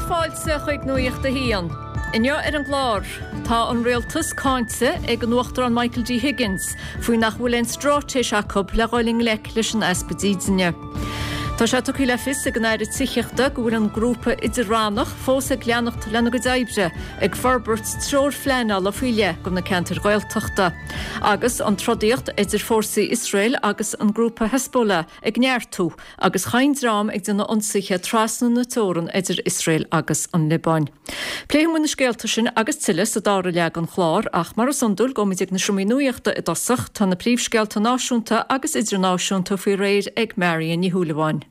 Fáilte chuig Nuacht a hAon. Inniu ar an gclár, tá an rialtas cáinte ag an Uachtarán Michael D. Higgins faoi nach bhfuil aon straitéis acu le dhul i ngleic leis an easpa dídine. Tá sé tugtha le fios ag an Aire Tithíochta go bhfuil an grúpa idir-rannach fós ag leanacht lena gcuid oibre ag forbairt treoir phleanála faoi leith do na ceantair Ghaeltachta. Agus an trodaíocht idir fórsaí Iosrael agus an grúpa Hezbollah ag neartú agus chaon dream ag déanamh ionsaithe trasna na teorann idir Iosrael agus an Liobáin. Pléifidh muid na scéalta sin agus tuilleadh sa dara leath den chlár ach mar is iondúil gabhfaimid ag na seomraí nuachta i dtosach. Tá na príomhscéalta náisiúnta agus idirnáisiúnta faoi réir ag Marion Ní Shúilleabháin.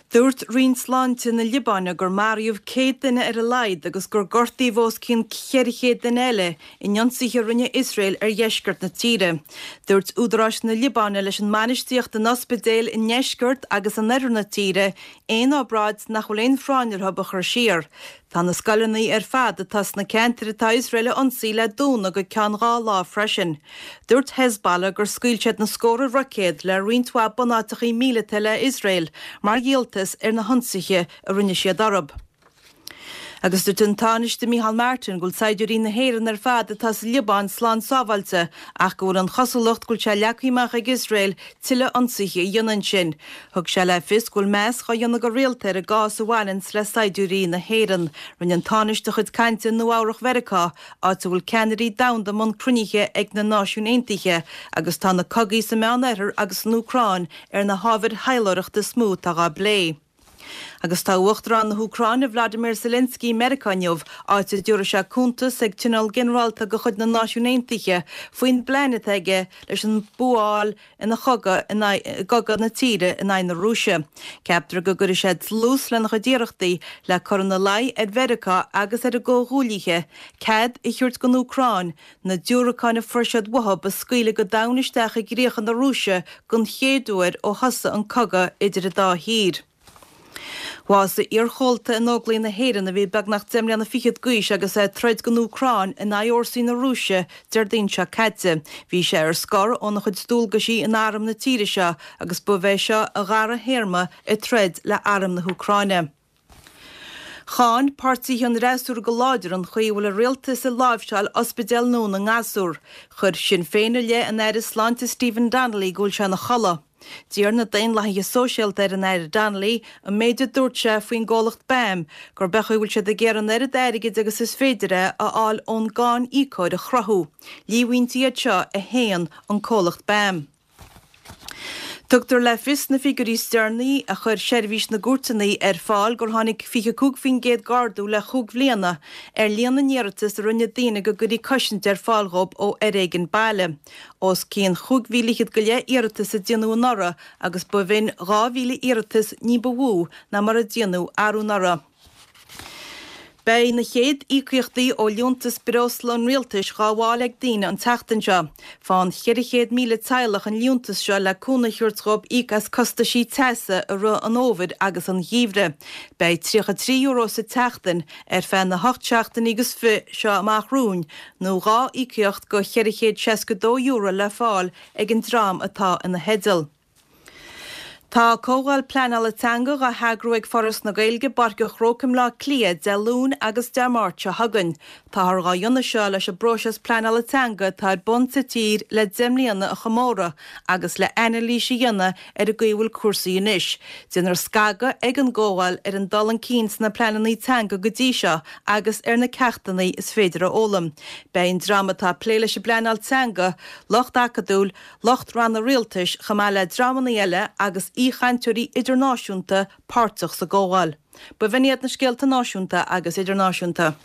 Dúirt Roinn Sláinte na Liobáine gur maraíodh 100 duine ar a laghad agus gur gortaíodh os cionn 400 duine eile in ionsaithe a rinne Iosrael ar dheisceart na tíre. Dúirt údaráis na Liobáine leis an mbainistíocht in ospidéil i ndeisceart agus in oirthear na tíre aon obráid nach bhfuil aon phráinn orthu a chur siar. Tá na scoileanna ar fad atá sna ceantair atá Iosrael a ionsaí le dúnadh go ceann 2 lá freisin. Dúirt Hezbollah gur scaoil siad na scórtha roicéad le roinnt mhaith bunáiteachaí míleata le Iosrael mar dhíoltas ar na hionsaithe a rinne siad orthu. Agus dúirt an Tánaiste Micheál Martin go bhfuil saighdiúirí na hÉireann ar fad atá sa Liobáin slán sábháilte ach go bhfuil an chosúlacht go bhfuil sé leagtha amach ag Iosrael tuilleadh ionsaithe a dhéanamh ansin. Thug sé le fios go bhfuil meas dhá dhéanamh go rialta ar an gcás a bhaineanns le saighdiúirí na hÉireann. Rinne an Tánaiste a chuid cainte i Nua-Eabhrach Mheiriceá, áit a bhfuil ceannairí domhanda i mbun cruinnithe ag na Náisiúin Aontaithe agus tá na cogaí sa Meán-Oirthear agus san Úcráin ar na hábhair thaidhleoireachta is mó atá dhá bplé. Agus tá Uachtarán na hÚcráine Vladimir Zelensky i Meiriceá inniu, áit a dtabharfaidh sé cuntas ag Tionól Ginearálta de chuid na Náisiún Aontaithe faoin bplean atá aige leis an bua a fháil ina chogadh in aghaidh i gcogadh na tíre in aghaidh na Rúise. Ceaptar go gcuirfidh sé dlús lena chuid iarrachtaí le cur ina luí ar Mheiriceá agus ar a gcomhghuaillithe cead a thabhairt don Úcráin na diúracáin a fuair siad uathu a scaoileadh go domhain isteach i gcríocha na Rúise den chéad uair ó thosaigh an cogadh idir an dá thír. Bhásaigh iarchomhalta in Óglaigh na hÉireann a bhí beagnach 10 mbliana fichead d'aois agus é ag troid don Úcráin in aghaidh fhórsaí na Rúise Déardaoin seo caite. Bhí sé ar scor óna chuid dualgaisí in arm na tíre seo agus ba é seo a dhara théarma ag troid le arm na hÚcráine. Cháin páirtithe an fhreasúra go láidir an chaoi a bhfuil an rialtas ag láimhseáil ospidéal nua na ngasúr. Chuir Sinn Féin i leith an Aire Sláinte Stephen Donnelly go bhfuil sé ina chodladh. D'iarr na Daonlathaithe Sóisialta ar an Aire Donnelly an méid a dúirt sé faoin gcomhlacht BAM gurb é an chaoi a bhfuil siad ag iarraidh an oiread airgid agus is féidir a fháil ón gcáin íocóir a chruthú. Líomhaintí iad seo a shéan an comhlacht BAM. Tugtar le fios sna figiúirí is deireanaí a chuir Seirbhís na gCúirteanna ar fáil gur tháinig 25% d'ardú le chúig bhliana ar líon na n-iarratas a rinne daoine go gcuirfí cosaint ar fáil dhóibh ó fhoréigean baile. Os cionn chúig mhíle fhichead go leith iarratas a déanadh anuraidh agus ba bh'in 2,000 iarratas ní ba mhó ná mar a déanadh arú anuraidh. Beidh na chéad íocaíochtaí ó liúntas breosla an rialtais dhá bhfáil ag daoine an tseachtain seo. Faigheann 400,000 teaghlach an liúntas seo le cúnamh a thabhairt dhóibh íoc as costaisí teasa i rith an fhómhair agus an gheimhridh. Beidh €33 sa tseachtain ar feadh na hocht seachtainí agus fi seo amach romhainn nó 2 íocaíocht de €462 le fáil ag an dream atá ina theideal. Tá comhdháil pleanála teanga dhá heagrú ag Foras na Gaeilge i bPáirc an Chrócaigh i mBleá Cliath Dé Luain agus Dé Máirt seo chugainn. Táthar dhá dhéanamh seo leis an bpróiseas pleanála teanga atá ar bun sa tír le 10 mbliana a chomóradh agus le anailís a dhéanamh ar an gcaoi a bhfuil cúrsaí anois. Déanfar scagadh ag an gcomhdháil ar an dul chun cinn sna pleananna teanga go dtí seo agus ar na ceachtanna is féidir a fhoghlaim. Beidh an dream atá ag plé leis an bpleanáil teanga, lucht acadúil, lucht ranna rialtais chomh maith le dreamanna eile agus aoichainteoirí idirnáisiúnta páirteach sa gcomhdháil. B'in iad na scéalta náisiúnta agus idirnáisiúnta.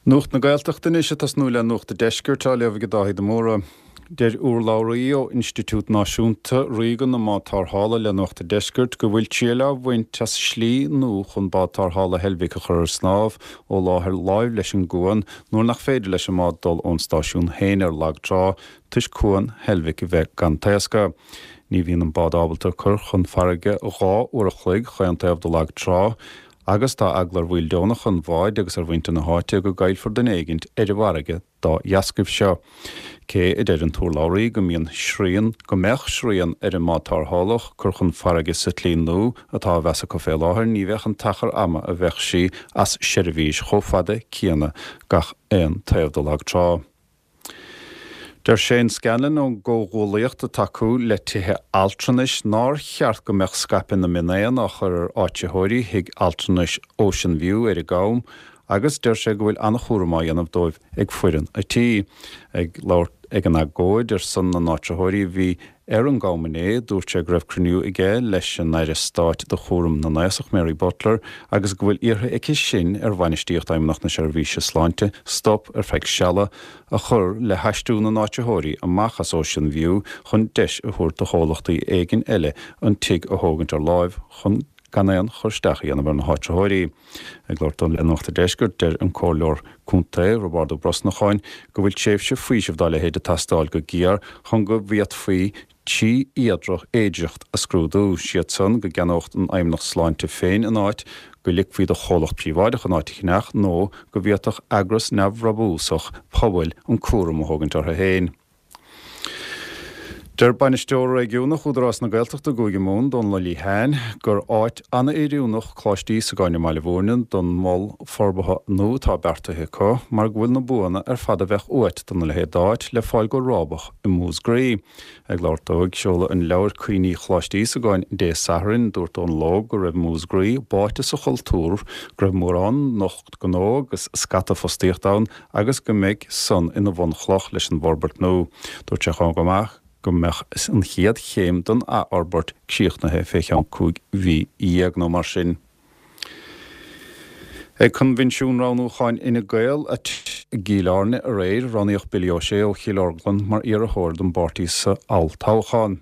Nuacht na Gaeltachta anois ag tosnú le Nuacht an Deiscirt á léamh ag Dáithí de Mórdha. Deir urlabhraí ó Institiúid Náisiúnta Ríoga na mBád Tarrthála le Nuacht an Deiscirt go bhfuil triail á bhaint as slí nua chun bád tarrthála Heilbhic a chur ar snámh ó láthair láimh leis an gcuan nuair nach féidir leis an mbád dul ón stáisiún féin ar lag trá toisc cuan Heilbhic a bheith gan taoscadh. Ní bhíonn an bád ábalta cur chun farraige 2 uair a chloig chaon taobh de lag trá. Agus tá eagla ar bhaill deonacha an bháid agus ar mhuintir na háite go gcaillfear duine éigint ar an bhfarraige dá dheascaibh seo. Cé a deir an t-urlabhraí go mbíonn srian, go mbeadh srian ar an mbád tarrthálach cur chun farraige sa tslí nua atá á mheas acu fé láthair, ní bheadh an t-achar ama a bheadh sí as seirbhís chomh fada céanna gach aon taobh de lag trá. Deir Shane Scanlon ón gComhghuallaíocht ag tacú le tithe altranais nár cheart go mbeadh scaipeadh na mionéan á chur ar áitritheoirí thigh altranais Ocean View ar an gCam agus deir sé go bhfuil an-chúram á dhéanamh dóibh ag foireann a' tí. Ag labhairt ag an agóid ar son na n-áitritheoirí a bhí Ar an gCam inné, dúirt sé go raibh cruinniú aige leis an Aire Stáit do chúram na nAosach, Mary Butler, agus go bhfuil iarrtha aici sin ar bhainistíocht Fheidhmeannacht na Seirbhíse Sláinte stop ar feadh seala a chur le haistriú na n-áitritheoirí amach as Ocean View chun deis a thabhairt do chomhlachtaí éigin eile an tigh a thógaint ar láimh chun gan aon chur isteach a dhéanamh ar na háitritheoirí. Ag labhairt dó le Nuacht an Deiscirt, deir an Comhairleoir Contae, Roibeárd Ó Brosnacháin, go bhfuil tréimhse faoisimh dá leithéid ag teastáil go géar chun go bhféadfaí trí fhéidearthacht a scrúdú, siad san, go gceannódh an Fheidhmeannacht Sláinte féin an áit, go ligfí do chomhlacht príobháideach an áit a cheannach nó go bhféadfadh eagras neamhbhrabúsach pobail an cúram a thógaint orthu féin. Deir Bainisteoir Réigiúnach Údarás na Gaeltachta i gCúige Mumhan, Dónal Ó Liatháin, gur áit an-oiriúnach Coláiste Íosagáin i mBaile Bhúirne don mhol forbartha nua atá beartaithe acu mar go bhfuil na buanna ar fad a bheadh uait dona leithéid d'áit le fáil go rábach i Múscraí. Ag labhairt dó ag seoladh an leabhair Cuimhní Choláiste Íosagáin Dé Sathairn, dúirt Dónal Óg go raibh Múscraí báite sa chultúr, go raibh mórán lucht gnó agus scata fostaíocht ann agus go mbeidh san ina bhunchloch leis an bhforbairt nua. Dúirt sé chomh maith go mbeadh an chéad chéim den athfhorbairt críochnaithe fé cheann 15 mhí nó mar sin. Ag Coinbhinsiún Roghnúcháin Fhine Gael i gCill Airne aréir, roghnaíodh Billy O'Shea ó Chill Orglan mar iarrthóir don bpáirtí sa olltoghchán.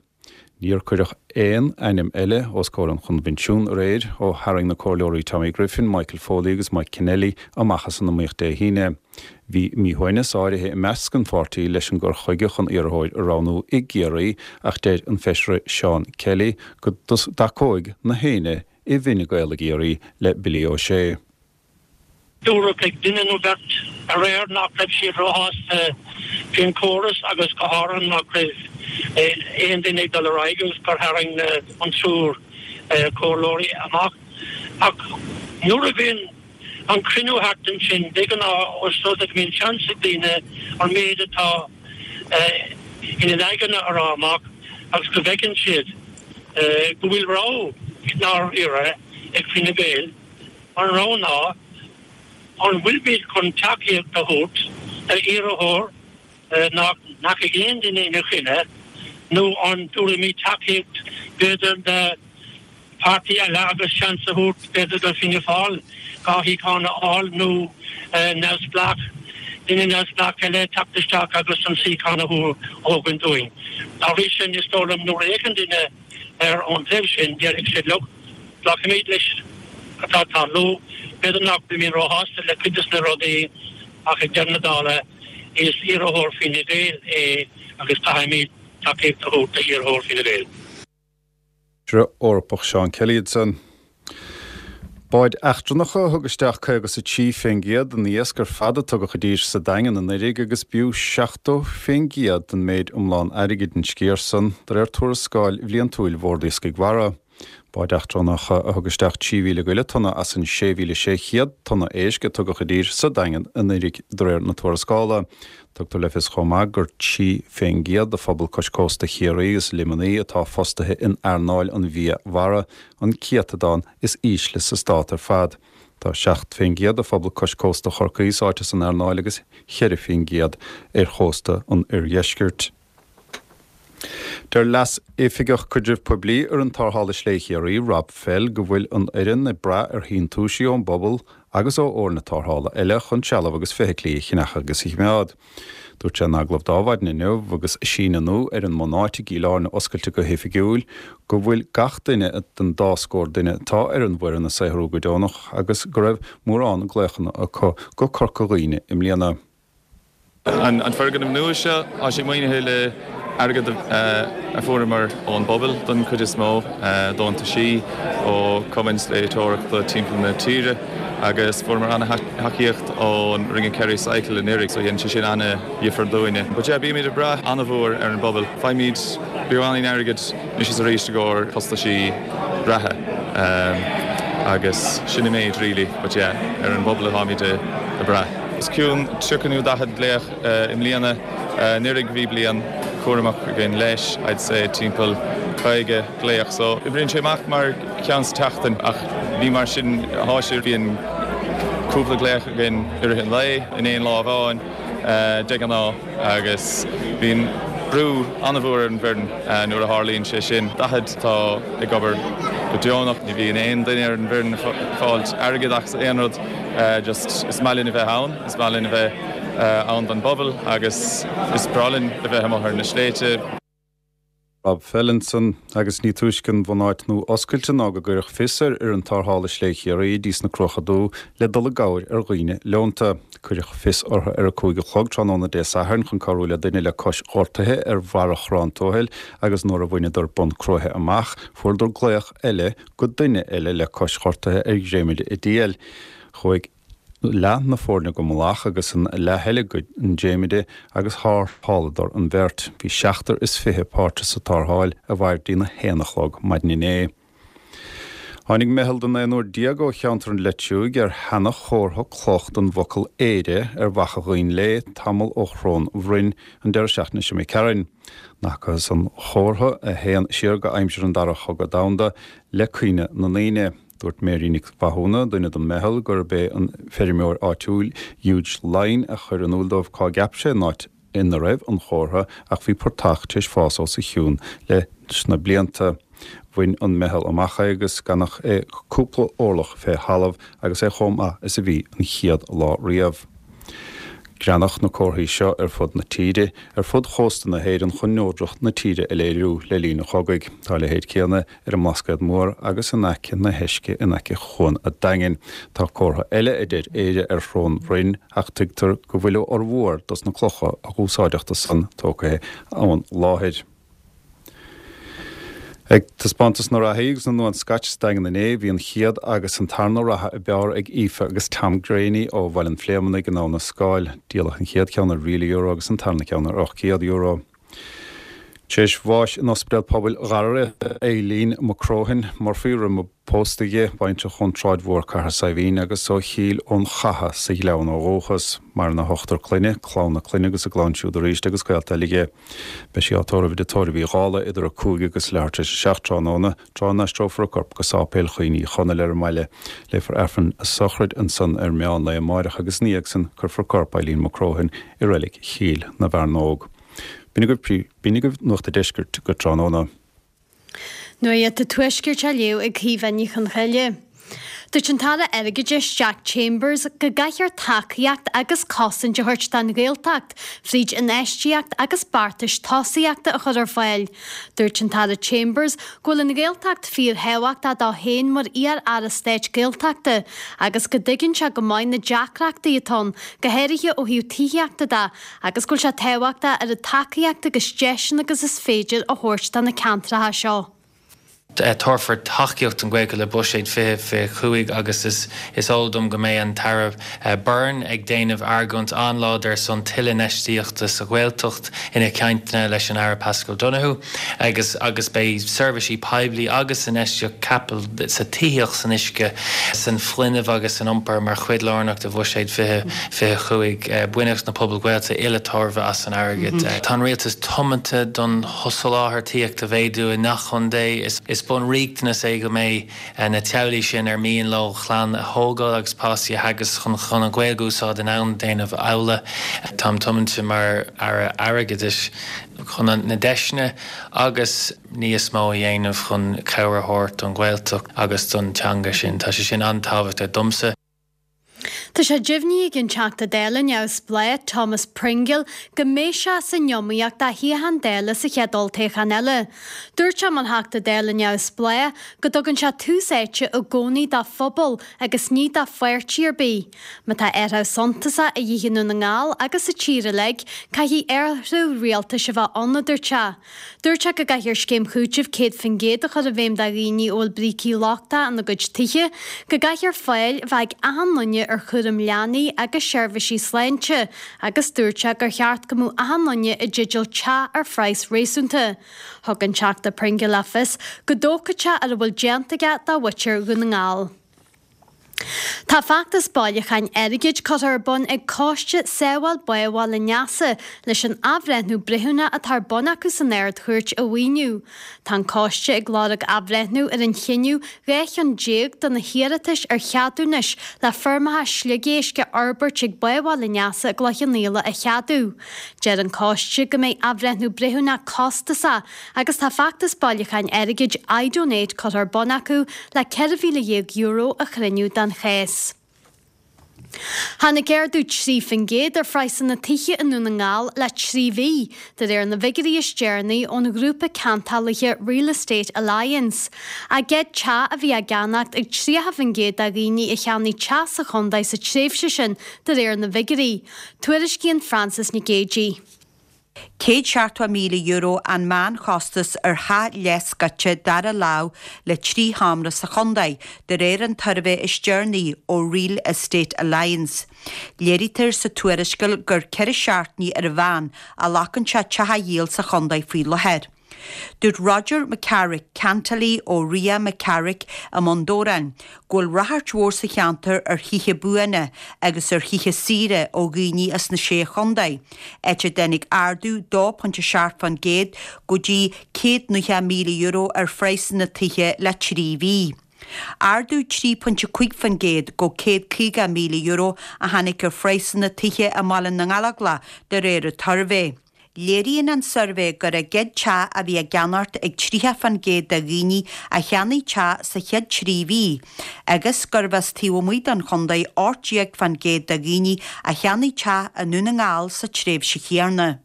Níor cuireadh aon ainm eile os comhair an choinbhinsiúin aréir ó tharraing na comhairleoirí Tommy Griffin, Michael Foley agus Mike Kennelly amach as an iomaíocht Dé hAoine. Bhí míshuaimhneas áirithe i measc an pháirtí leis an gcur chuige chun iarrthóir a roghnú i gCiarraí ach deir an Feisire Seán Kelly go dtacóidh na héinne i bhFine Gael i gCiarraí le Billy O'Shea. Dúradh ag duine nó beirt aréir nach raibh siad róshásta faoin chóras agus go háirithe nach raibh aon duine ag dul ar aghaidh agus gur tharraing an triúr comhairleoirí amach. Ach nuair a bhíonn an cruinniú thart ansin, de ghnáth, os rud é go mbíonn seans ag daoine an méid atá ina n-aigne a rá amach agus go bhfeiceann siad go bhfuil rogha i ndáiríre ag Fine Gael, An rogha ná, an bhfuilimid chun tacaíocht a thabhairt d'iarrthóir nach ndeachaigh aon duine ina choinne, nó an dtabharfaimid tacaíocht b'fhéidir do pháirtí eile agus seans a thabhairt b'fhéidir do Fianna Fáil 2 shuíochán a fháil nó neamhspleách, duine neamhspleách eile teacht isteach agus an suíochán a thógaint uainn. Dá bhrí sin, is dóigh liom nuair a fhéachann duine ar an dtaobh sin, déarfaidh siad, look, glacfaimid leis atá ag tarlú. B'fhéidir nach bhfuilimid róshásta le cuid de na rudaí ach ag deireadh na dála is iarrthóir Fine Gael é agus caithfimid tacaíocht a thabhairt d'iarrthóir Fine Gael. Feisire Eorpach Seán Kelly ansan. Báid eachtrannacha a thug isteach 53% den iasc ar fad a tugadh i dtír sa Daingean anuraidh agus b'fhiú 70% den méid iomlán airgid an sciar san, de réir tuarascáil bhliantúil Bhord Iascaigh Mhara. Báid eachtrannacha a thug isteach 3,000 go leith tonna as an 6,600 tonna éisc a tugadh i dtír sa Daingean anuraidh, de réir na tuarascála. Tugtar le fios chomh maith gur 3% de phobal cois cósta Chiarraí agus Luimnigh atá fostaithe in earnáil an bhia mhara, an céatadán is ísle sa stát ar fad. Tá 7% de phobal cois cósta Chorcaí sáite san earnáil agus 4% ar chósta an oirdheiscirt. Deir Leas-Oifigeach Caidrimh Poiblí Fhoireann Tarrthála Slé Chiarraí, Rob Fell, go bhfuil an fhoireann ag brath ar shíntiúisí ón bpobal agus ó fhoirne tarrthála eile chun trealamh agus feithiclí a cheannach agus a choimeád. Dúirt sé in agallamh d'Adhmhaidin inniu agus síneadh nua ar an mbunáit i gCill Airne oscailte go hoifigiúil go bhfuil gach duine den dá scór duine atá ar an bhfoireann ag saothrú go deonach agus go raibh mórán glaochanna acu go Corca Dhuibhne i mbliana. An foirgneamh nua seo, tá sé maoinithe le. Airgead a fuaireamar ón bpobal don chuid is mó, deontaisí ó chumainn sléibhteoireachta timpeall na tíre agus fuaireamar an-thacaíocht ón Ring of Kerry Cycle anuraidh so dhein sé sin an-dhifear dúinne. But yeah, bímid ag brath an-mhór ar an bpobal. Faighimid beagáinín airgid anois is arís i gcomhair costaisí reatha agus sin an méid really but yeah, ar an bpobal atáimid ag brath. Os cionn 30 nó 40 glaoch i mbliana. Anuraidh bhí bliain cúramach againn leis, I'd say timpeall 50 glaoch. So oibríonn sé amach mar ceann sa tseachtain ach ní mar sin atá sé. Bíonn cúpla glaoch againn i rith an lae, in aon lá amháin de ghnáth agus bíonn brú an-mhór ar an bhfoireann nuair a tharlaíonn sé sin. 40 atá ag obair go deonach, ní bhíonn aon duine ar an bhfoireann ag fáilt airgead as aon rud, just is maith linn a bheith ann, is maith linn a bheith ann don bpobal agus is breá linn a bheith amuigh ar na sléibhte. Rob Fellinson, Agus ní túisce an bhunáit nua oscailte ná go gcuireadh fios ar fhoireann tarrthála Sléibhe Chiarraí dtí sna Cruacha Dubha le dul i gcabhair ar dhaoine leonta. Cuireadh fios orthu ar a 5 a chlog tráthnóna Dé Sathairn chun cabhrú le duine le cois ghortaithe ar bharra Chorrán Tuathail agus nuair a bhaineadar Bun Cruaiche amach fuaireadar glaoch eile go duine eile le cois ghortaithe ar dhréimire i dTiail. Chuaigh leath na foirne go Mullach agus an leath eile go an dréimire agus tharrtháladar an bheirt. Bhí 27 páirteach sa tarrtháil a mhair dtí'n 1 a chlog maidin inné. Tháinig meitheal den aonúr déag ó cheantar an Leitriúigh ar sheana-chomhartha cloch den bhfocal 'Éire' ar Mhachaire Dhuinn Léith tamall ó Shrón Bhroin an deireadh seachtaine seo imigh tharainn. Fhacthas an chomhartha, a théann siar go aimsir an Dara Chogadh Domhanda, le cuimhne na ndaoine. Dúirt Mary Nic Mhathúna, duine den meitheal, gurb é an feirmeoir áitiúil Hugh Lyne a chuir in iúl dóibh cá gceap sé an áit ina raibh an chomhartha ach bhí portach tar éis fás os a chionn leis na blianta. Bhain an meitheal amach é agus gan ach é cúpla orlach fé thalamh agus é chomh maith is a bhí an chéad lá riamh. Greanadh na comharthaí seo ar fud na tíre, ar fud chósta na hÉireann chun neodracht na tíre a léiriú le linn an chogaidh. Tá a leithéid céanna ar an mBlascaod Mór agus in aice na hEisce in aice Chuan a' Daingin. Tá comhartha eile a deir Éire ar Shrón Bhroin ach tuigtear go bhfuil a fhormhór dos na clocha a dh'úsáideadh do san tógtha ón láthair. Ag taispeántas na reathaí agus na nDuán Scotch sa Daingean inné, bhí an chéad agus an tarna reatha ab fhearr ag Aoife agus Tom Graney ó Bhaile an Phléimeannaigh in Abha na Scáil. Díoladh an chéad cheann ar €1,000 agus an tarna ceann ar €800. Tar éis bháis in Ospidéal Pobail Gharbhreathnach Eileen McCrohan, Murphy roimh a pósta di, baintreach ón tSráid Mhór Cathair Saidhbhín agus ó Chill Fhionnchatha sa Ghleann ó dhúchas. Maireann a hochtar clainne, clann na clainne agus a gclann siúd arís agus gaolta eile aici. Beidh sí á tórramh i dTigh Tórraimh Uí Dhálaigh idir 5 agus leathuair tar éis a 7 tráthnóna, tráth a n-aistreofar a corp go Sáipéal Chaoin Uí Chonaill ar an mbaile. Léifear Aifreann a sochraid ansan ar meán lae amáireach agus ina dhiaidh san cuirfear corp Eileen McCrohan i reilig Chill na bhFearnóg. B'in agaibh B'in agaibh Nuacht a' Deiscirt go tráthnóna. Nuacht a' Tuaiscirt á léamh ag Caoimhe Ní Chonchoille. Dúirt an tAire Airgeadais Jack Chambers go gcaithfear tacaíocht agus cosaint a thabhairt don Ghaeltacht fríd infheistíocht agus beartais tosaíochta a chur ar fáil. Dúirt an tAire Chambers go bhfuil an Ghaeltacht fíorthábhachtach dó féin mar iar-aire stáit Gaeltachta agus go dtuigeann sé go maith na deacrachtaí atá ann, go háirithe ó thaobh tithíochta de, agus go bhfuil sé tábhachtach oiread tacaíochta agus deiseanna agus is féidir a thabhairt do na ceantracha seo. Tabharfar tacaíocht don Ghaeltacht le Buiséad 2025 agus is eol dom go mbeidh an tAire Byrne ag déanamh argóint an-láidir ar son tuilleadh infheistíochta sa Ghaeltacht ina chainteanna leis an Aire Paschal Donohoe agus agus beidh seirbhísí poiblí agus infheistíocht caipitil sa tithíocht, san uisce, san fuinneamh agus san iompar mar chuid lárnach de Bhuiséad 2025. Bainfidh na pobail Ghaeltachta uile tairbhe as an airgead. Tá an Rialtas tiomanta don sholáthar tithíochta a mhéadú i ngach contae. Is bunriachtanas é go mbeidh na teaghlaigh sin ar mian leo clann a thógáil agus páistí a theagasc chun an Ghaeilge a úsáid in ann déanamh amhlaidh. Táim tiomanta mar Aire Airgeadais chun na deiseanna agus níos mó a dhéanamh chun cabhair a thabhairt don Ghaeltacht agus don teanga sin. Tá sé sin an-tábhachtach domsa. Tá sé deimhnithe ag an Teachta Dála neamhspleách Thomas Pringle go mbeidh sé san iomaíocht do shuíochán Dála sa chéad olltoghchán eile. Dúirt sé mar Theachta Dála neamhspleách go dtugann sé tús áite i gcónaí dá phobal agus ní do pháirtí ar bith. Má tá athrú suntasach a dhíth i nDún na nGall agus sa tír uilig, caithfidh athrú rialtais a bheith ann, a dúirt sé. Dúirt sé go gcaithfear scéim chúitimh 100% a chur i bhfeidhm do dhaoine a bhfuil brící lochtacha ina gcuid tithe, go gcaithfear fáil a bheith ag achan duine ar chúram leanaí agus seirbhísí sláinte agus dúirt sé gur cheart go mbeadh achan duine i dteideal teach ar phraghas réasúnta. Thug an Teachta Pringle le fios go dtógfadh sé ar a bhfuil déanta aige do mhuintir Dhún na nGall. Tá feachtas bailiúcháin airgid curtha ar bun ag Coiste Sábháil Bá Bhaile Neasa leis an athbhreithniú breithiúnach atá ar bun acu san Ard-Chúirt a mhaoiniú. Tá an coiste ag lorg athbhreithniú ar an chinneadh 12 cheann de na hiarratais ar cheadúnais le feirmeacha sliogéisc a fhorbairt ag Bá Bhaile Neasa i gCloich Cheann Fhaola a cheadú. Deir an coiste go mbeidh athbhreithniú breithiúnach costasach Agus tá feachtas bailiúcháin airgid iDonate curtha ar bun acu le €14,000 a chruinniú don chás. Tháinig ardú 3% ar phraghsanna tithe i nDún na nGall le 3 mhí, de réir na bhfigiúirí is deireanaí ón ghrúpa ceantálaithe Real Estate Alliance. A gcéad teach a bhí á gceannacht ag 30% de dhaoine a cheannaigh teach sa chontae sa tréimhse sin, de réir na bhfigiúirí. Tuairiscíonn Frances Nic Géadaigh. €170,000 an meánchostas ar theach leathscoite dara lámh le 3 sheomra sa chontae, de réir an tsuirbhé is deireanaí ó Real Estate Alliance. Léirítear sa tuarascáil gur 4 seachtainí ar an mheán a ghlacann sé teach a dhíol sa chontae faoi láthair. Dúirt Roger McCarrick, ceantálaí ó Ria McCarrick i mBun Dobhráin, go bhfuil ráchairt mhór sa cheantar ar thithe buana agus ar thithe saoire ó dhaoine as na Sé Chontae, áit a dtáinig ardú 2.7% go dtí €190,000 ar phraghsanna tithe le 3 mhí. Ardú 3.5% go €150,000 a tháinig ar phraghsanna tithe i mBaile na nGallóglach de réir an tsuirbhé. Léiríonn an suirbhé gur a gcéad teach a bhí á gceannacht ag 30% de dhaoine a cheannaigh teach sa chéad 3 mhí agus gurbh as taobh amuigh den chontae 18% de dhaoine a cheannaigh teach i nDún na nGall sa tréimhse chéanna.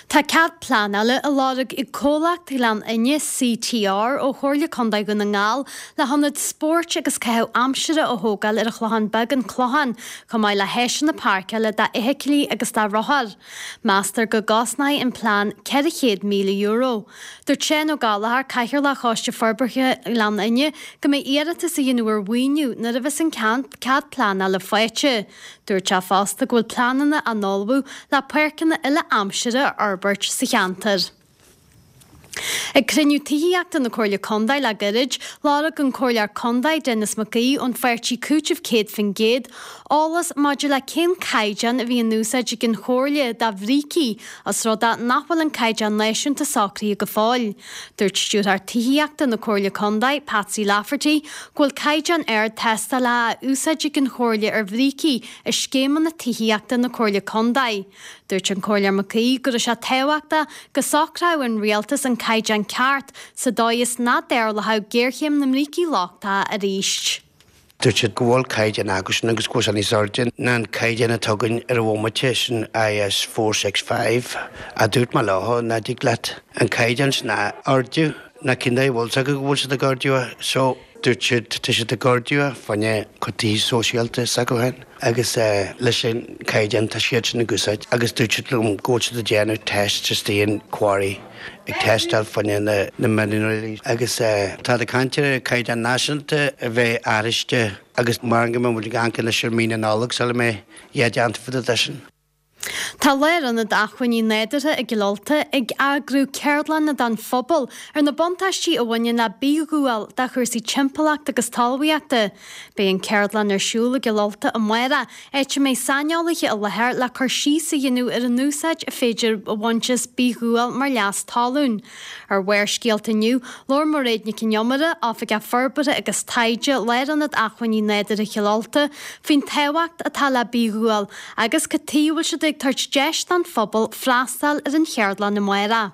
Tá cead pleanála á lorg ag Comhlacht Ghleann Fhinne, CTR, ó Chomhairle Contae Dhún na nGall le hionad spóirt agus caitheamh aimsire a thógáil ar an Chlochán Beag, An Clochán, chomh maith le háiseanna páirceála d'fheithiclí agus do rothair. Meastar go gcosnóidh an plean €400,000. Dúirt Seán Ó Gallchóir, Cathaoirleach Choiste Forbartha Ghleann Fhinne, go mbeidh iarratas á dhéanamh ar mhaoiniú nuair a bheas an cead pleanála faighte. Dúirt sé fosta go bhfuil pleananna á n-ullmhú le páirceanna uile-aimsire a fhorbairt sa cheantar. Ag cruinniú tithíochta na Comhairle Contae le gairid, lorg an Comhairleoir Contae Denis Mac Aoidh ón pháirtí Cúiteamh 100% eolas maidir le cén caighdeán a bhí in úsáid ag an Chomhairle do bhrící os rud é nach bhfuil an caighdeán náisiúnta socraithe go fóill. Dúirt Stiúrthóir Tithíochta na Comhairle Contae, Patsy Lafferty, go bhfuil caighdeán ard tástála á úsáid ag an Chomhairle ar bhrící i scéimeanna tithíochta na Comhairle Contae. Dúirt an Comhairleoir Mac Aoidh go raibh sé tábhachtach go socródh an Rialtas an caighdeán ceart sa dóigh is nach dtarlódh géarchéim na mbrící lochtacha arís. Dúirt siad go bhfuil caighdeán acusan agus go bhfuil sé níos airde ná an caighdeán atá againn ar an bhomaite, sin IS 465. A dúirt mé leo, ná dtig leat an caighdeán sin a ardú ná cén dóigh a bhfuil 's acu go bhfuil siad ag ardú é. So. Dúirt siad, tá siad ag ardú é fá choinne cuid tithe sóisialta s'acu féin agus leis an caighdeán tá siad sin ag úsáid agus dúirt siad liom go bhfuil siad ag déanamh test istigh in quarry ag tástáil fá choinne na mianraí agus tá ag caint ar caighdeán náisiúnta a bheith athraiste agus mar go mbeidh muid ag amharc anois ar mí na Nollag sula mbeidh a dhath déanta fá dtaobh de sin. Tá Lárionad Acmhainní Nádúrtha i gCill Ulta ag eagrú ceardlanna don phobal ar na buntáistí a bhaineann le bithdhúil do chúrsaí timpeallachta agus talmhaíochta. Beidh an ceardlann ar siúl i gCill Ulta amárach, áit a mbeidh saineolaithe i láthair le cur síos a dhéanamh ar an úsáid a féidir a bhaint as bithdhúil mar leas talún. Ar Bharrscéalta inniu, labhair Mairéad Nic Con Iomaire, Oifigeach Forbartha agus Taighde, Lárionad Acmhainní Nádúrtha Chill Ulta, faoin tábhacht atá le bithdhúil agus cad tuige a bhfuil siad ag tabhairt deis don phobal freastal ar an cheardlann amárach.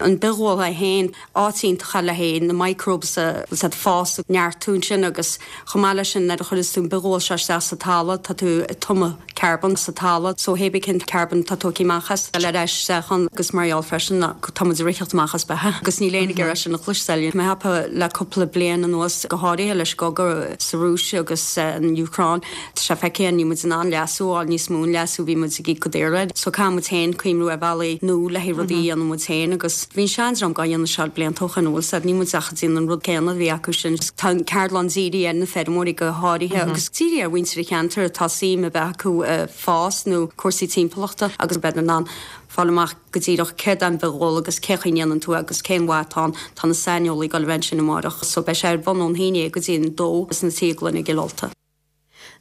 An bithghual é féin, áit iontach le haghaidh na microbes a fás ag neartú ansin agus chomh maith leis sin nuair a chuireas tú an bithghual seo isteach sa talamh tá tú ag tumadh carbon sa talamh so hé bí cén carbon tá tógtha amach as le ar ais isteach ann agus mar gheall freisin tá muid ag ritheacht amach as beatha agus níl éinne ag iarraidh sin a chloisteáil. Mé ag ceapadh le cúpla bliain anuas go háirithe leis an gcogadh sa Rúis agus an Úcráin Tá sé feicthe, níl muid in ann leasú a fháil, níos mó an leasú a bhí muid ag íoc go daor air. So caithfidh muid féin cuimhniú ar bhealaí nua le haghaidh rudaí a dhéanamh muid féin agus bhí an seandream dhá dhéanamh seo blianta ó shoin, an bhfuil 's a'd, níl muid ach ag déanamh an rud céanna a bhí acu sin. Tá an ceardlann dírithe ar na feirmeoirí go háirithe agus dírithe ar mhuintir an cheantair atá suim a bheith acu i bhfás nó cúrsaí timpeallachta agus beidh in ann fáil amach go díreach céard é an bithghual agus cé chaoi a ndéanann tú é agus cén mhaith atá ann. Tá na saineolaí ag dul a bheith ansin amárach so beidh sé ar bun ón haon dhéag go dtí an dó sna Tithe Gloine i gCill Ulta.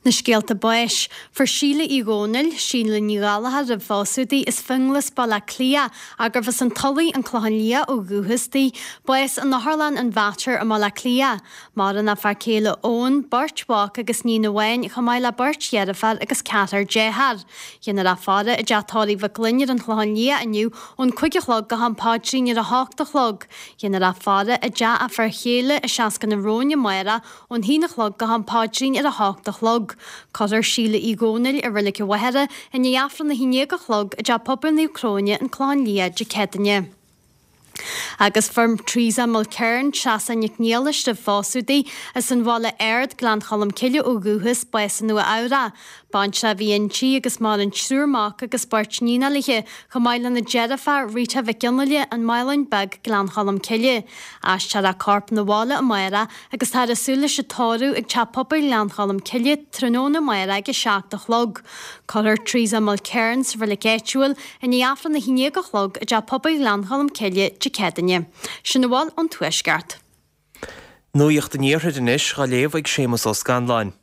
Na scéalta báis. Fuair Síle Uí Dhónaill, Síle Ní Ghallchóir roimh phósadh di, as Fionghlas, Baile Átha Cliath, ach gurbh as an Tulaigh, An Clochán Liath ó dhúchas di, bás in Otharlann an Mhater i mBaile Átha Cliath. Maireann a fear céile Eoin, beirt mhac agus níon amháin, chomh maith le beirt dheirféar agus ceathrar dearthár. Déanfar í a fhaire i dteach tórraimh Mhic Gloinn ar an Chlochán Liath inniu ón 5 a chlog go ham paidrín ar a hocht a chlog. Déanfar í a fhaire i dteach a fir chéile i Seascann an Róin amárach ón haon a chlog go ham paidrín ar a hocht a chlog. Cuirfear Síle Uí Dhónaill i Reilig an Mhachaire i ndiaidh Aifreann a haon déag a chlog i dTeach Pobail Naomh Cróine, An Clochán Liath, Dé Céadaoine. Agus fuair Teresa Mulkern, Treasa Nic Niallais roimh phósadh di, as an Bhaile Ard, Gleann Cholm Cille ó dhúchas, bás i Nua Eabhrac. Baintreach a bhí inti agus maireann triúr mac agus beirt níonacha léi, chomh maith lena deirfiúr Rita Mhic Fhionnghaile, An Maoláin Beag, Gleann Cholm Cille. Aistreofar a corp 'na bhaile amárach agus táthar ag súil leis an tórramh ag Teach Pobail Ghleann Cholm Cille tráthnóna amárach ag 7 a chlog. Cuirfear Teresa Mulkern sa reilig áitiúil i ndiaidh Aifreann a haon déag a chlog i dTeach Pobail Ghleann Cholm Cille Dé Céadaoine. Sin a bhfuil ón Tuaisceart. Nuacht an Iarthair anois dhá léamh ag Séamus Ó Scanláin.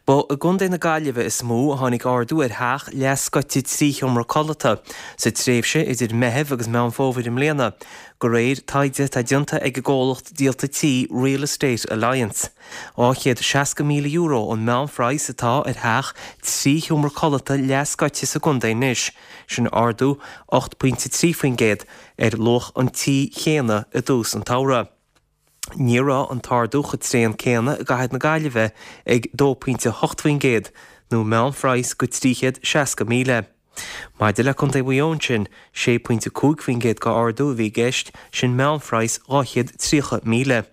Ba i gContae na Gaillimhe is mó a tháinig ardú ar theach leathscoite 3 sheomra codlata sa tréimhse idir Meitheamh agus Meán Fómhair i mbliana, de réir taighde atá déanta ag an gcomhlacht díolta tí Real Estate Alliance. €260,000 an meánphraghas atá ar theach 3 sheomra codlata leathscoite sa gcontae anois, sin ardú 8.3% ar luach an tí chéanna i dtús an tsamhraidh. Ní raibh an t-ardú chomh tréan céanna i gcathair na Gaillimhe ag 2.8% nó meánphraghas go 360,000. Maidir le Contae Mhaigh Eo ansin, 6.5% go ardú a bhí i gceist, sin meánphraghas 230,000.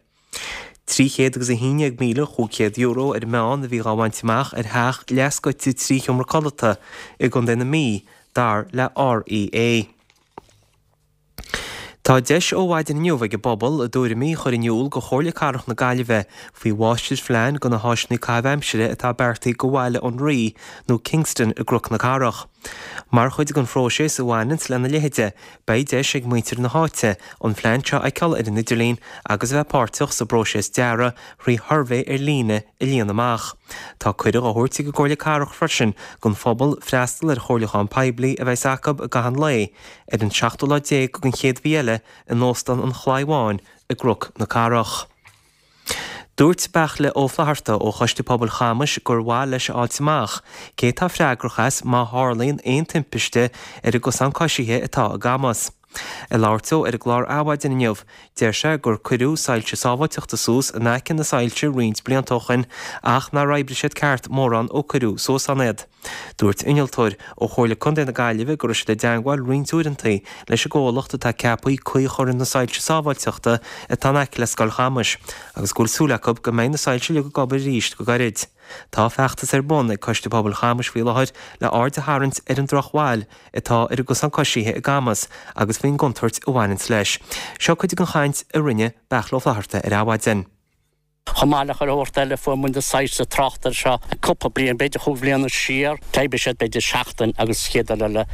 €311,500 ar an meán a bhí dhá bhaint amach ar theach leathscoite 3 sheomra codlata i gContae na Mí, dar le REA. Tá deis ó mhaidin inniu ag an bpobal a dtuairimí a chur in iúl go Chomhairle Cathrach na Gaillimhe faoi mháistirphlean do na háiseanna caitheamh aimsire atá beartaithe go Bhaile an Rí nó Kingston i gCnoc na Cathrach. Mar chuid den phróiseas a bhaineanns lena leithéide, beidh deis ag muintir na háite an phlean seo a fheiceáil ar an idirlíon agus a bheith páirteach sa bpróiseas dearaidh thrí shuirbhé ar líne a líonadh amach. Tá cuireadh á thabhairt ag an gComhairle Cathrach freisin don phobal freastal ar chomhairliúchán poiblí a bheas acu i gcaitheamh an lae ar an seachtú lá déag den chéad mhí eile in Óstán an Chlaí Bháin i gCnoc na Cathrach. Dúirt Beairtle Ó Flatharta ó Choiste Pobail Chamais gur mhaith leis a fháilt amach cé atá freagrach as má tharlaíonn aon timpiste ar an gcosán coisithe atá i gCamas. Ag labhairt dó ar an gclár Adhmhaidin inniu, deir sé gur cuireadh soilse sábháilteachta suas in aice na soilse roinnt blianta ó shoin ach nár oibrigh siad ceart mórán ó cuireadh suas ann iad. Dúirt innealtóir ó Chomhairle Contae na Gaillimhe go raibh siad i dteangmháil roinnt uaireanta leis an gcomhlacht atá ceaptha caoi a chur ar na soilse sábháilteachta atá in aice le Scoil Chamais agus go bhfuil súil acu go mbeidh na soilse uilig ag obair arís go gairid. Tá feachtas ar bun ag Coiste Pobail Chamais faoi láthair le aird a tharraingt ar an drochbhail atá ar an gcosán coisithe i gCamas agus faoin gcontúirt a bhaineanns leis. Seo cuid den chaint a rinne Beairtle Ó Flatharta ar Adhmhaidin. Chomh maith le chuile shórt eile fuair muid na soilse tráchta air seo cúpla bliain, b'fhéidir chúig bhliana siar. D'oibrigh siad b'fhéidir seachtain agus chéad uair eile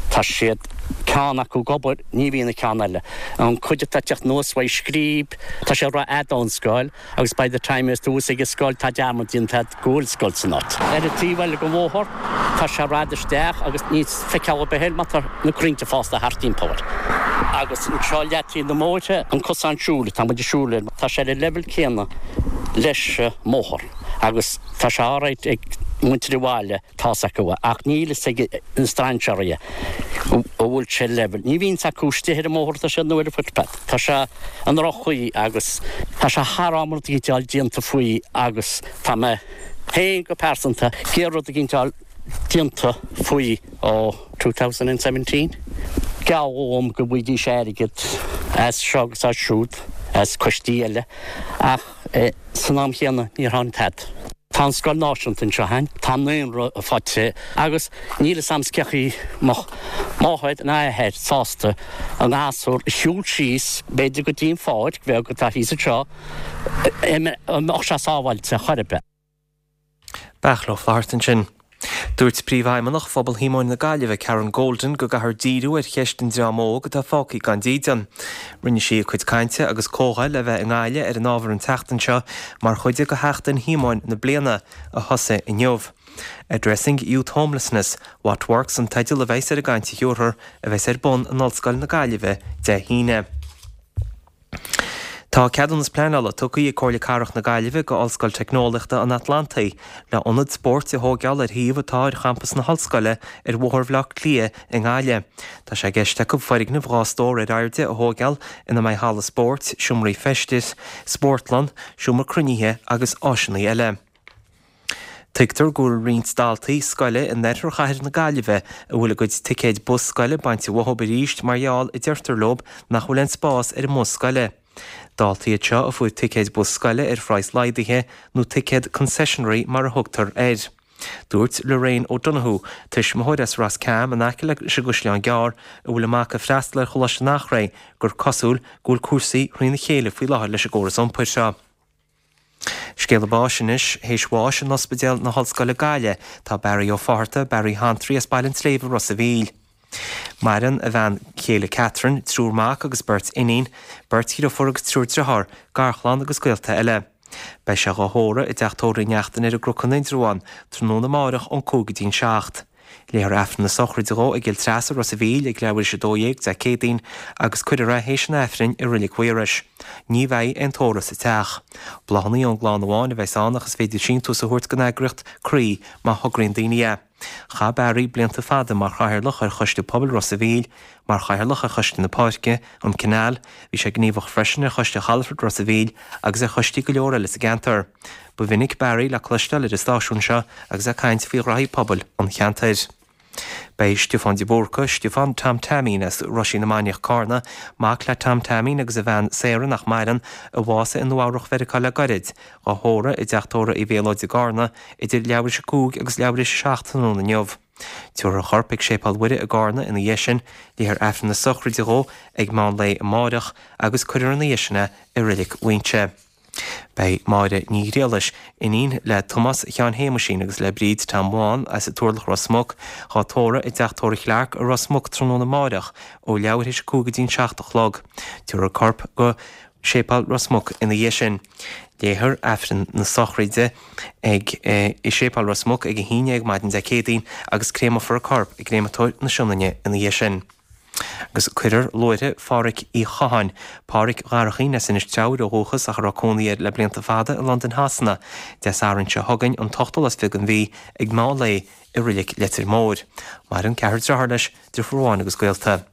tá siad, ceann acu ag obair, ní bhíonn an ceann eile. An cuid atá ag teacht anuas uaidh Scríb, tá sé rófhada ón scoil agus by the time is tú thuas ag an scoil tá dearmad déanta agat go bhfuil scoil san áit. Ar an taobh eile den bhóthar tá sé rófhada isteach agus níl feiceáil ar bith air mar tá na crainnte fásta thart timpeall air. Agus anseo leataobh na mbóithre, an cosán siúil atá muid ag siúl air, tá sé ar an leibhéal céanna leis an mbóthar agus tá sé alright ag. muintir an bhaile, tá's acu ach níl fhios ag na strainséirí go bhfuil sé level. Ní bhíonn fhios acu istigh ar an mbóthar atá siad nó ar an footpath. Tá sé i ndroch-chaoi agus tá sé thar am rud éicint a fháil déanta faoi agus tá mé féin go pearsanta ag iarraidh rud éicint a fháil déanta faoi ó 2017. Gealladh dhom go bhfaighidís airgead as seo agus as siúd, as coistí eile ach san am chéanna níor tháinig tada. Tá an scoil náisiúnta anseo againn, tá an naíonra faighte agus níl fhios a'm cén chaoi a mbeadh máthair ná athair sásta a ngasúr a shiúl síos b'fhéidir go dtí an pháirc bheag atá thíos anseo, an mbeadh sé sábháilte chor ar bith. Beairtle Ó Flatharta ansin. Dúirt Príomhfheidhmeannach Phobal Shíomóin na Gaillimhe, Karen Golden, go gcaithfear díriú ar cheist an dream óg atá fágtha gan dídean. Rinne sí a cuid cainte agus comhdháil le bheith i nGaillimh ar an ábhar an tseachtain seo mar chuid de Sheachtain Shíomóin na bliana, a thosaigh inniu. Addressing Youth Homelessness, What Works an teideal a bheas ar an gcaint a thabharfar, a bheas ar bun in Ollscoil na Gaillimhe Dé hAoine. Tá ceadúnas pleanála tugtha ag Comhairle Cathrach na Gaillimhe go Ollscoil Teicneolaíochta an Atlantaigh le ionad spóirt a thóigeáil ar shuíomh atá ar champas na hollscoile ar Bhóthar Bhaile Átha Cliath i nGaillimh. Tá sé i gceist acu foirgneamh 2 stór ar airde a thóigeáil ina mbeidh halla spóirt, seomraí feistis, spórtlann, seomra cruinnithe agus áiseanna eile. Tuigtear go bhfuil roinnt daltaí scoile in oirthear chathair na Gaillimhe a bhfuil a gcuid ticéid bus scoile bainte uathu arís mar gheall, a deirtear leo, nach bhfuil aon spás ar an mbus scoile. Daltaí iad seo a fuair ticéid bus scoile ar phraghas laghdaithe, nó ticéad concessionary mar a thugtar air. Dúirt Lorraine O'Donoghue, tuismitheoir as Ros Cam in aice leis an gCaisleán Gearr, a bhfuil a mac ag freastal ar Choláiste an Eachréidh, gur cosúil go bhfuil cúrsaí thrína chéile faoi láthair leis an gcóras iompair seo. Scéala báis anois, théis bháis in Ospidéal na hOllscoile Gaillimh tá Barry Ó Fátharta, Barry Shantraí as Baile an tSléibhe, Ros a' Mhíl. Maireann a bhean chéile Catherine, triúr mac agus beirt iníon, beirt dhriofúr agus triúr driotháir, garchlann agus gaolta eile. Beidh sé dhá thórramh i dteach tórraimh Uí Neachtain ar an gCnoc in Indreabhán tráthnóna amáireach ón 5 go dtí'n 7. Léifear Aifreann na sochraide dhó i gCill Treasa, Ros a' Mhíl, ag leathuair théis 12 Dé Céadaoin agus cuirfear é théis an Aifrinn i Reilig Mhaorais. Ní bheidh aon tórramh sa teach. Bláthanna ón gclann amháin a bheas ann ach is féidir síntiús a thabhairt don eagraíocht Croí má thograíonn daoine é. Chaith Barry blianta fada mar chathaoirleach ar Choiste Pobail Ros a' Mhíl, mar chathaoirleach ar Choiste na Páirce, an Canal, bhí sé gníomhach freisin ar Choiste Chalafort Ros a' Mhíl agus ar choistí go leor eile sa gceantar. Ba mhinic Barry le cloisteáil ar an stáisiún seo agus é ag caint faoi ghraithí pobail an cheantair. Beidh Stiofán de Búrca, Stiofán Tom Taimín as Roisín na Mainiach Cárna, mac le Tom Taimín agus a bhean Sarah nach maireann, a bhásaigh i Nua Eabhrach Mheiriceá le gairid, dhá thórramh i dteach tórraimh Uí Mhéalóid i gCárna idir leathuair théis a 5 agus leathuair théis a 7 tráthnóna inniu. Tabharfar a chorp ag Séipéal Mhuire i gCárna ina dhiaidh sin, léifear Aifreann na sochraide dhó ag meán lae amáireach agus cuirfear ina dhiaidh sin é i Reilig Mhuighinse. Beidh Máire Ní Ghriallais, iníon le Tomás Sheáin Shéamuisín agus le Bríd Tom Bhán as an Turlach Ros Muc, dhá tórramh i dteach tórraimh Chlarke i Ros Muc tráthnóna amáireach ó leathuair théis a 5 go dtí'n 7 a chlog. Tabharfar a corp go Séipéal Ros Muc ina dhiaidh sin. Léifear Aifreann na sochraide ag i Séipéal Ros Muc ag 11 maidin Dé Céadaoin agus créamfar a corp i gCréamatóir na Sionainne ina dhiaidh sin. Agus cuirfear luaithre Phádhraic Uí Chatháin, Pádhraic Dharchaín as Inis Treabhair ó dhúchas ach a raibh cónaí air le blianta fada i Londain Shasana, Dé Sathairn seo chugainn, an t-ochtú lá is fiche den mhí, ag meán lae i Reilig Leitir Móir. Maireann ceathrar dearthár leis, deirfiúr amháin agus gaolta.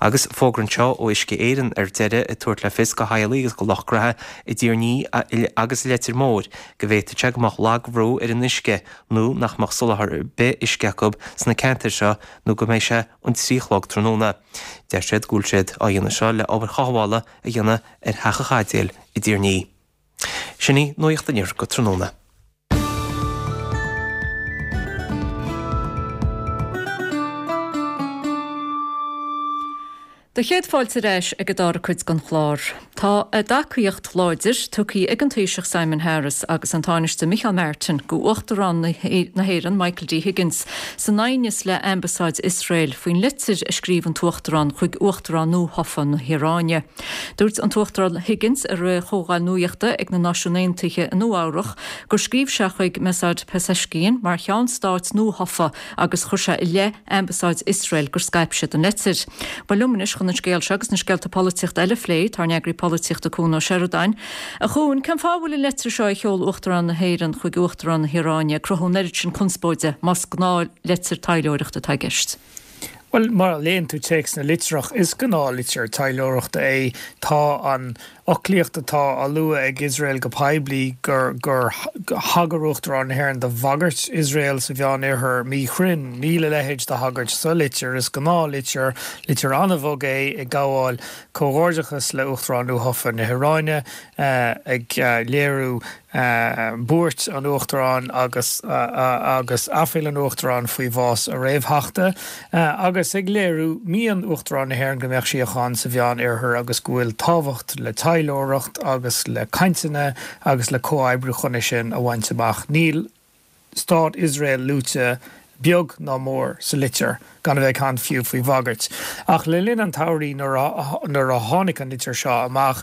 Agus fógra anseo ó Uisce Éireann ar deireadh ag tabhairt le fios go theaghlaigh agus go lucht graithe i dTír an Fhia agus i Leitir Móir go bhféadfadh sé go mbeadh lagbhrú ar an uisce nó nach mbeadh soláthar ar bith uisce acu sna ceantair seo nó go mbeidh sé an 3 a chlog tráthnóna. Deir siad go bhfuil siad á dhéanamh seo le obair chothabhála a dhéanamh ar Theach an Chaidéil i dTír an Fhia. Sin í Nuacht an Iarthair go tráthnóna. Do chéad fáilte ar ais ag an dara cuid den chlár. Tá a dtacaíocht láidir tugtha ag an Taoiseach Simon Harris agus an Tánaiste Micheál Martin go Uachtarán na hÉireann Michael D Higgins san aighneas le Ambasáid Iosrael faoin litir a scríobh an tUachtarán chuig Uachtarán nuathofa na hIaráine. Dúirt an tUachtarán Higgins i rith chomhdháil nuachta ag na Náisiúin Aontaithe i Nua Eabhrach gur scríobh sé chuig Masoud Pezeshkian mar cheann stáit nuathofa agus chuir sé i leith Ambasáid Iosrael gur scaip siad an leitir. Ba liom anois chun. chun an scéal seo agus na scéalta polaitíochta eile a phlé, tá ár n-eagraí polaitíochta Cuan Ó Seireadáin. A Chuain, cén fáth a bhfuil an leitir seo a sheol Uachtarán na hÉireann chuig Uachtarán na hIaráine ag cruthú an oiread sin conspóide, más gnáthleitir taidhleoireachta atá i gceist? Bhuel, má léann tú téacs na litreach, is gnáthlitir taidhleoireachta é. Tá an fhoclaíocht atá á lua ag Iosrael go poiblí gur gur thagair Uachtarán na hÉireann do bhagairt Iosrael sa Mheánoirthear míchruinn. Níl a leithéid de thagairt sa litir. Is gnáthlitir, litir an-bhog é, ag gabháil comhghairdeachas le Uachtarán nuathofa na hIaráine, ag léiriú buairt an Uachtaráin agus agus aiféala an Uachtaráin faoi bhás a réamhtheachta, agus ag léiriú mian Uachtarán na hÉireann go mbeadh síocháin sa Mheán Oirthear agus go bhfuil tábhacht le taidhleoireacht agus le cainteanna agus le comhoibriú chun é sin a bhaint amach. Níl Stát Iosrael luaite beag ná mór sa litir, gan a bheith ag caint fiú faoi bhagairt. Ach le linn an tsamhraidh nuair a tháinig an litir seo amach,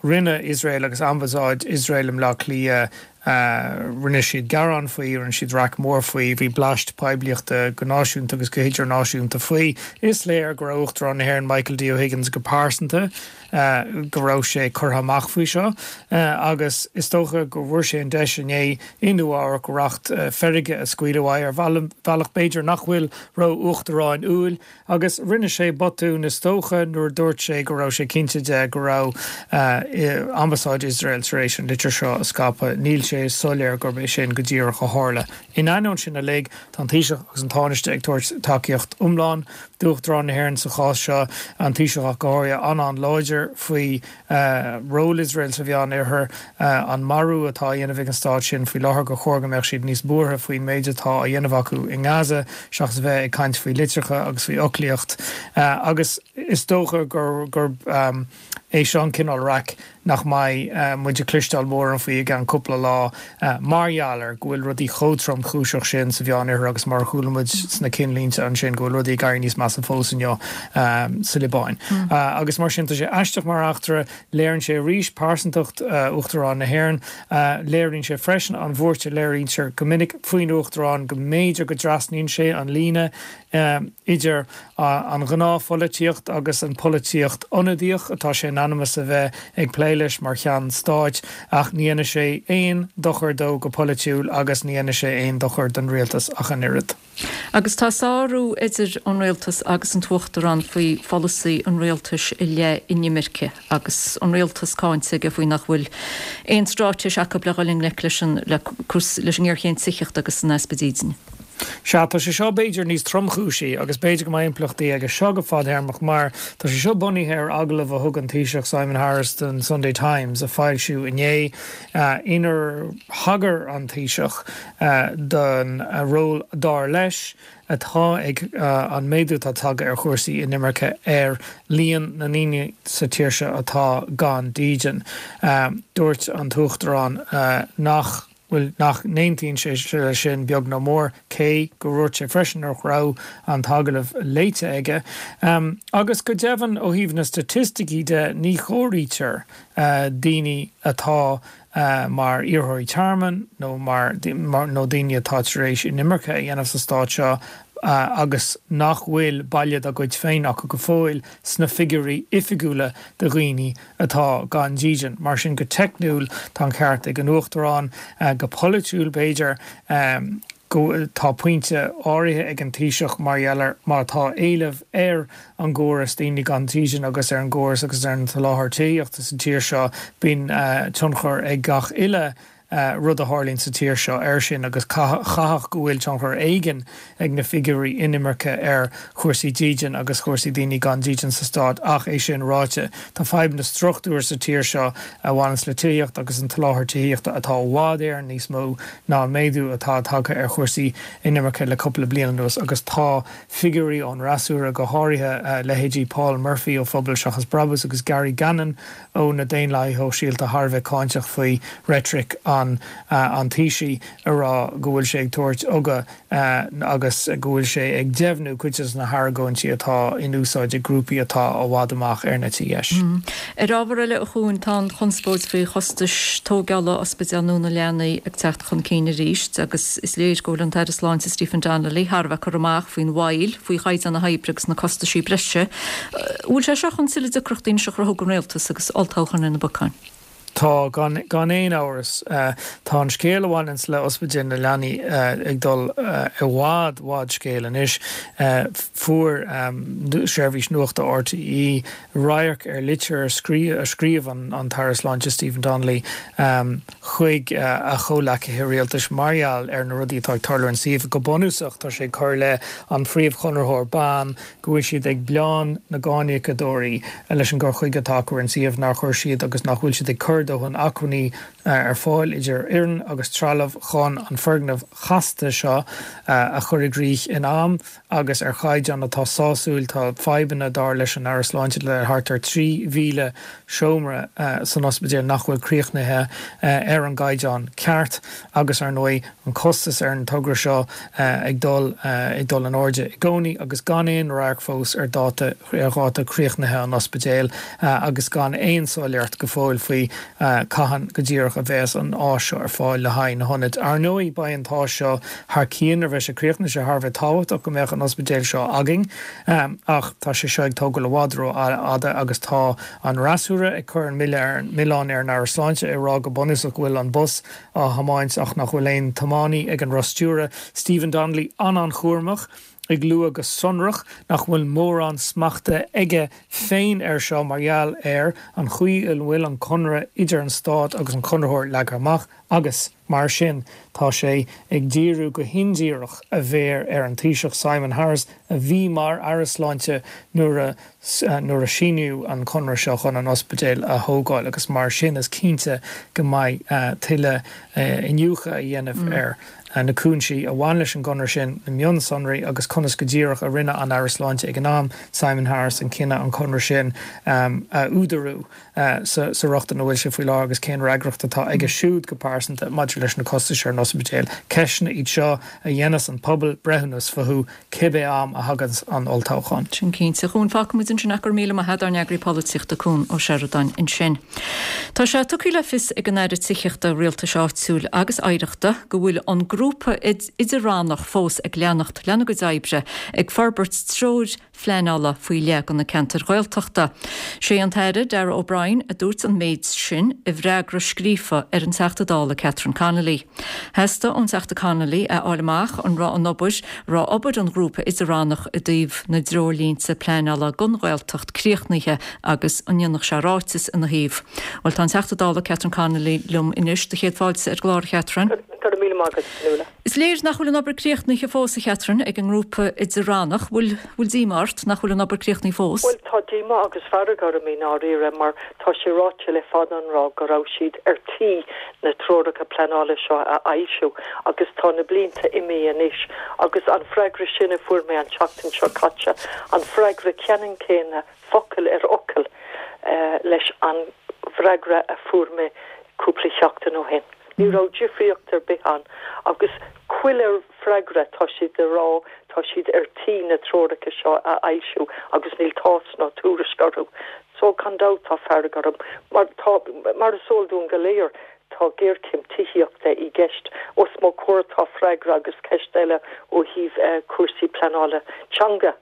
rinne Iosrael agus Ambasáid Iosrael i mBleá Cliath, rinne siad gearán faoi, rinne siad raic mór faoi, bhí bleaist poiblíochta go náisiúnta agus go hidirnáisiúnta faoi. Is léir go raibh Uachtarán na hÉireann Michael D O'Higgins go pearsanta, go raibh sé curtha amach faoi seo agus is dócha go bhfuair sé an deis inné i Nua Eabhrac racht feirge a scaoileadh uaidh ar bhealach b'fhéidir nach bhfuil ró-uachtaráiniúil agus rinne sé botún is dócha nuair a dúirt sé go raibh sé cinnte de go raibh Ambasáid Iosrael tar éis an litir seo a scaipeadh. Níl sé soiléir gurb é sin go díreach a tharla. In ainneoin sin uilig, tá an Taoiseach agus an Tánaiste ag tabhairt tacaíocht iomlán d'Uachtarán na hÉireann sa chás seo, an Taoiseach ach go háirithe, an-an-láidir faoi ról Iosrael sa Mheán-Oirthear, an marú atá á dhéanamh ag an stát sin faoi láthair, gur chóir go mbeadh siad níos buartha faoin méid atá á dhéanamh acu i nGaza seachas a bheith ag caint faoi litreacha agus faoi fhoclaíocht. Agus is dócha gurb é seo an cineál raic nach mbeidh muid ag cloisteáil mórán faoi i gceann cúpla lá mar gheall ar go bhfuil rudaí chomh tromchúiseach sin sa Mheán-Oirthear agus mar a chuala muid sna cinnlínte ansin go bhfuil rudaí ag éirí níos measa fós inniu sa Liobáin. Agus mar sin tá sé aisteach mar eachtra, léiríonn sé arís pearsantacht Uachtarán na hÉireann, léiríonn sé freisin an bhuairt a léirítear go minic faoin Uachtarán go mb'fhéidir go dtrasnaíonn sé an líne idir an ghnáthpholaitíocht agus an pholaitíocht ionadaíoch atá sé in ainm is a bheith ag plé leis mar cheann stáit, ach ní dhéanfaidh sé aon dochar dó go polaitiúil agus ní dhéanfaidh sé aon dochar don rialtas ach an oiread. Agus tá sárú idir an rialtas agus an tUachtarán faoi pholasaí an rialtais i leith inimirce agus an rialtas cáinte aige faoi nach bhfuil aon straitéis acu le dhul i ngleic leis an leis an ngéarchéim tithíochta agus an easpa dídine. Sea, tá sé seo b'fhéidir níos tromchúisí agus b'fhéidir go mbeidh impleachtaí aige seo go fadthéarmach mar tá sé seo bunaithe ar agallamh a thug an Taoiseach Simon Harris don Sunday Times a foilsíodh inné inar thagair an Taoiseach don ról dar leis atá ag an méadú atá tagtha ar chúrsaí inimirce ar líon na ndaoine sa tír seo atá gan dídean. Dúirt an tUachtarán nach. bhuel, nach n-aontaíonn sé leis sin beag nó mór, cé go ndúirt sé freisin nach raibh an t-agallamh léite aige. Agus go deimhin, ó thaobh na staitisticí de, ní chomhairítear daoine atá mar iarrthóirí tearmainn nó mar nó daoine atá tar éis inimirce a dhéanamh sa stát seo agus nach bhfuil baile dá gcuid féin acu go fóill sna figiúirí oifigiúla de dhaoine atá gan dídean. Mar sin, go teicniúil, tá an ceart ag an Uachtarán. Go polaitiúil, b'fhéidir, go tá pointe áirithe ag an Taoiseach mar gheall ar má tá éileamh ar an gcóras daoine gan dídean agus ar an gcóras agus ar an tsoláthar tithíochta sa tír seo, bíonn tionchar ag gach uile rud a tharlaíonn sa tír seo air sin agus chaithfeadh go bhfuil tionchar éigin ag na figiúirí inimirce ar chúrsaí dídean agus chúrsaí daoine gan dídean sa stát ach é sin ráite tá fadhbanna struchtúir sa tír seo a bhaineanns le tithíocht agus an tsoláthar tithíochta atá i bhfad Éireann níos mó ná an méadú atá tagtha ar chúrsaí inimirce le cúpla bliain anuas agus tá figiúirí ón fhreasúra go háirithe leithéidí Paul Murphy ó Phobal Seachas Brabús agus Gary Gannon ó na Daonlathaithe Shóisialta thar a bheith cáinteach faoi reitric an. an Taoisigh ag rá go bhfuil sé ag tabhairt ugach agus go bhfuil sé ag deimhniú cuid de na hargóintí atá in úsáid ag grúpaí atá i bhfad amach ar an eite dheis. Ar ábhar eile, a Chuain, tá an chonspóid faoi chostais tógála Ospidéal nua na Leanaí ag teacht chun cinn arís agus is léir go bhfuil an tAire Sláinte Stephen Donnelly thar a bheith curtha amach faoin mhoill, faoi chaighdeán na hoibre agus na costaisí breise. An bhfuil sé seo chun tuilleadh deacrachtaí anois a chruthú don Rialtas agus olltoghchán ar na bacáin? Tá, gan aon amhras. Tá an scéal a bhaineanns le Ospidéal na Leanaí ag dul i bhfad, bhfad scéil anois. Fuair seirbhís nuachta RTÉ radharc ar litir a scríobh an tAire Sláinte Stephen Donnelly chuig a chomhleacaithe rialtais mar gheall ar na rudaí atá ag tarlú ar an suíomh. Go bunúsach, tá sé ag cur i leith an phríomhchonraitheoir, ban, go bhfuil siad ag bleán na gcáiníocadóirí leis an gcur chuige atá acu ar an suíomh, nár chuir siad agus nach bhfuil siad ag cur dóthain acmhainní ar fáil, idir fhoireann agus trealamh, chun an foirgneamh chasta seo a chur i gcrích in am agus ar chaighdeán atá sásúil. Tá fadhbanna, dar leis an Aire Sláinte, le thart ar 3,000 seomra san ospidéal nach bhfuil críochnaithe ar an gcaighdeán ceart agus, ar ndóigh, an costas ar an togra seo ag dul ag dul in airde i gcónaí agus gan aon radharc fós ar dáta ar dháta críochnaithe an ospidéil agus gan aon soiléireacht go fóill faoi cathain go díreach a bheas an áis seo ar fáil le haghaidh na hionaid. Ar ndóigh beidh an t-áis seo thar cionn nuair a bheidh sé críochnaithe, sé thar a bheith tábhachtach go mbeadh an ospidéal seo againn ach tá sé seo ag tógáil i bhfad ró-fhada agus tá an fhreasúra ag cur an milleán ar an Aire Sláinte ag rá go bunúsach go bhfuil an bus á thiomáint ach nach bhfuil aon tiománaí ag an roth stiúrtha. Stephen Donnelly an-an-chúramach, ag lua go sonrach nach bhfuil mórán smachta aige féin air seo mar gheall ar an chaoi a bhfuil an conradh idir an Stát agus an conraitheoir leagtha amach agus, mar sin, tá sé ag díriú go hindíreach a mhéar ar an Taoiseach Simon Harris a bhí mar Aire Sláinte nuair a nuair a síníodh an conradh seo chun an ospidéal a thógáil agus mar sin is cinnte go mbeidh tuilleadh iniúchadh a dhéanamh ar na cúinsí a bhain leis an gconradh sin, na mionsonraí agus conas go díreach a rinne an Aire Sláinte ag an am, Simon Harris, an cinneadh an conradh sin a údarú sa riocht ina bhfuil sé faoi láthair agus cén fhreagracht atá aige siúd go pearsanta maidir leis na costais ar an ospidéal. Ceisteanna iad seo a dhéanfas an pobal breithiúnas fúthu cibé am a thaganns an olltoghchán. Sin cinnte. A Chuain, fágfaidh muid ansin ach go raibh míle maith agat, ár n-eagraí polaitíochta Cuan Ó Seireadáin ansin. Tá sé tugtha le fios ag an Aire Tithíochta, Rialtais Áitiúil agus Oidhreachta go bhfuil an grúpa idir-rannach fós ag leanacht lena gcuid oibre ag forbairt treoir phleanála faoi leith do na ceantair Ghaeltachta. Sé an tAire Darragh O'Brien a dúirt an méid sin i bhfreagra scríofa ar an Teachta Dála Catherine Connolly. Theastaigh ón Teachta Connolly a fháil amach an raibh an obair raibh obair an ghrúpa idir-rannach i dtaobh na dtreoirlínte pleanála don Ghaeltacht críochnaithe agus an ndéanfadh sé ráiteas ina thaobh. Bhuel tá an Teachta Dála Catherine Connolly liom anois. Do chéad fáilte ar an gclár a Chatherine. Go raibh míle maith agat, Nuala. Is léir nach bhfuil an obair críochnaithe fós, a Chatherine, ag an ngrúpa idir-rannach. Bhfuil, bhfuil díomá ort nach bhfuil an obair críochnaithe fós? Bhuel, tá díomá agus fearg orm i ndáiríre mar tá sé ráite le fada an rá go raibh siad ar tí na treoracha pleanála seo a fhoilsiú agus tá na blianta imithe anois agus an freagra sin a fuair mé an tseachtain seo caite, an freagra ceannann céanna focal ar fhocal leis an bhfreagra a fuair mé cúpla seachtain ó shin. Ní raibh difríocht ar bith ann agus chuile freagra tá siad ag rá tá siad ar tí na treoracha seo a fhoilsiú agus níl tásc ná tuairisc orthu. So gan dabht tá fearg orm mar tá, mar is eol dúinn go léir, tá géarchéim tithíochta i gceist. Os mo chomhair tá freagra agus ceist eile ó thaobh cúrsaí pleanála teanga.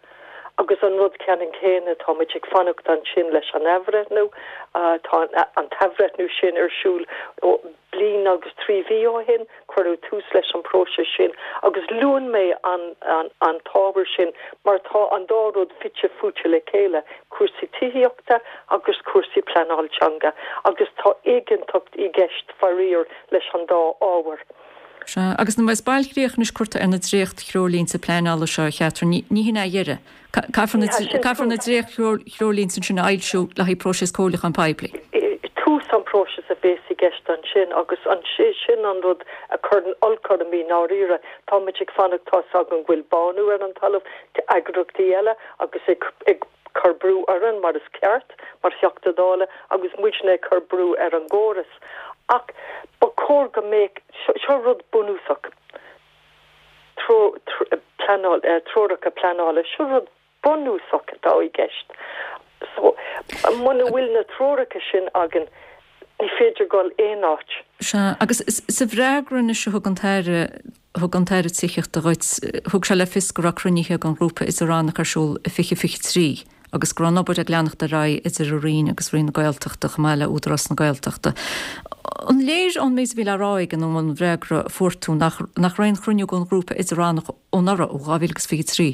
Agus an rud ceannann céanna, tá muid ag fanacht ansin leis an athbhreithniú. Tá an t-athbhreithniú sin ar siúl ó bliain agus 3 mhí ó shin, cuireadh tús leis an bpróiseas sin. Agus luann mé an an t-ábhar sin mar tá an dá rud fite fuaite le chéile, cúrsaí tithíochta agus cúrsaí pleanáil teanga, agus tá éiginnteacht i gceist, faraor, leis an dá ábhar. Sea, agus nuair a bheas bailchríoch anois curtha ar na dréacht-threoirlínte pleanála seo, a Chatherine, ní hin é a dheireadh. Caithfear na, caithfear na dréacht-threoirlínte ansin a fhoilsiú le haghaidh próiseas comhairliúcháin poiblí. Tús an próisis a bhéas i gceist ansin agus sin an rud a chuireann olc orm i ndáiríre. Tá muid ag fanacht, tá's againn go bhfuil bánú ar an talamh, eagraíochtaí eile agus ag, ag cur brú orainn mar is ceart mar Theachta Dála agus muidne ag cur brú ar an gcóras. Ach ba. chóir go mbeadh, seo rud bunúsach, pleanáil, treoracha pleanála, seo rud bunúsach atá i gceist. So, muna bhfuil na treoracha sin againn, ní féidir dul aon áit. Sea, agus sa bhfreagra anois a thug an tAire, thug an tAire Tithíochta dhuit, thug sé le fios go raibh cruinnithe den ghrúpa idir-rannach ar siúl i 2023 agus go raibh an obair ag leanacht ar aghaidh idir a Roinn agus Roinn na Gaeltachta chomh maith le Údarás na Gaeltachta. An léir ón méid a bhí le rá aige nó ón bhfreagra a fuair tú nach nach raibh aon chruinniú den ghrúpa idir-rannach ó anuraidh, ó 2023?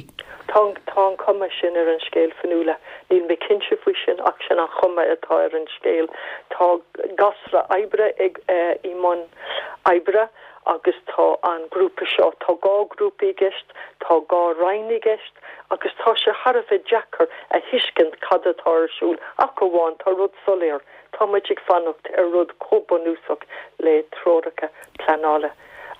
Tá tá an chuma sin ar an scéal, Fionnuala. Níl mé cinnte faoi sin ach sin an chuma atá ar an scéal. Tá gasra oibre ag i mbun oibre agus tá an grúpa seo, tá dhá ghrúpa i gceist, tá dhá roinn i gceist agus tá sé thar a bheith deacair a thuiscint cad atá ar siúl ach amháin tá rud soiléir, tá muid ag fanacht ar rud chomh bunúsach le treoracha pleanála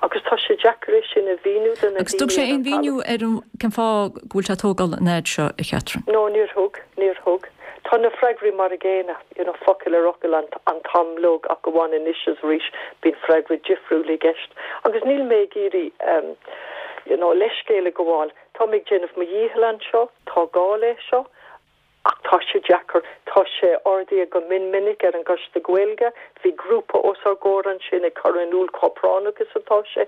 agus tá sé deacair é sin a mhíniú do na Agus thug daoine sé ar aon an mhíniú talamh. ar an cén fáth go bhfuil sé ag tógáil an fhaid seo, a Chatherine? No, níor thug, níor thug. Tá na freagraí mar a gcéanna, you know, focal ar fhocal an an t-am uilig ach amháin anois is arís bíonn freagra difriúil i gceist. Agus níl mé ag iarraidh ehm you know leithscéal a ghabháil, tá mé ag déanamh mo dhícheall anseo, tá gá le seo ach tá sé deacair. Tá sé ardaithe go mion minic ar an gCoiste Gaeilge, bhí grúpa os ár gcomhair ansin ag cur in iúl chomh práinneach is atá sé,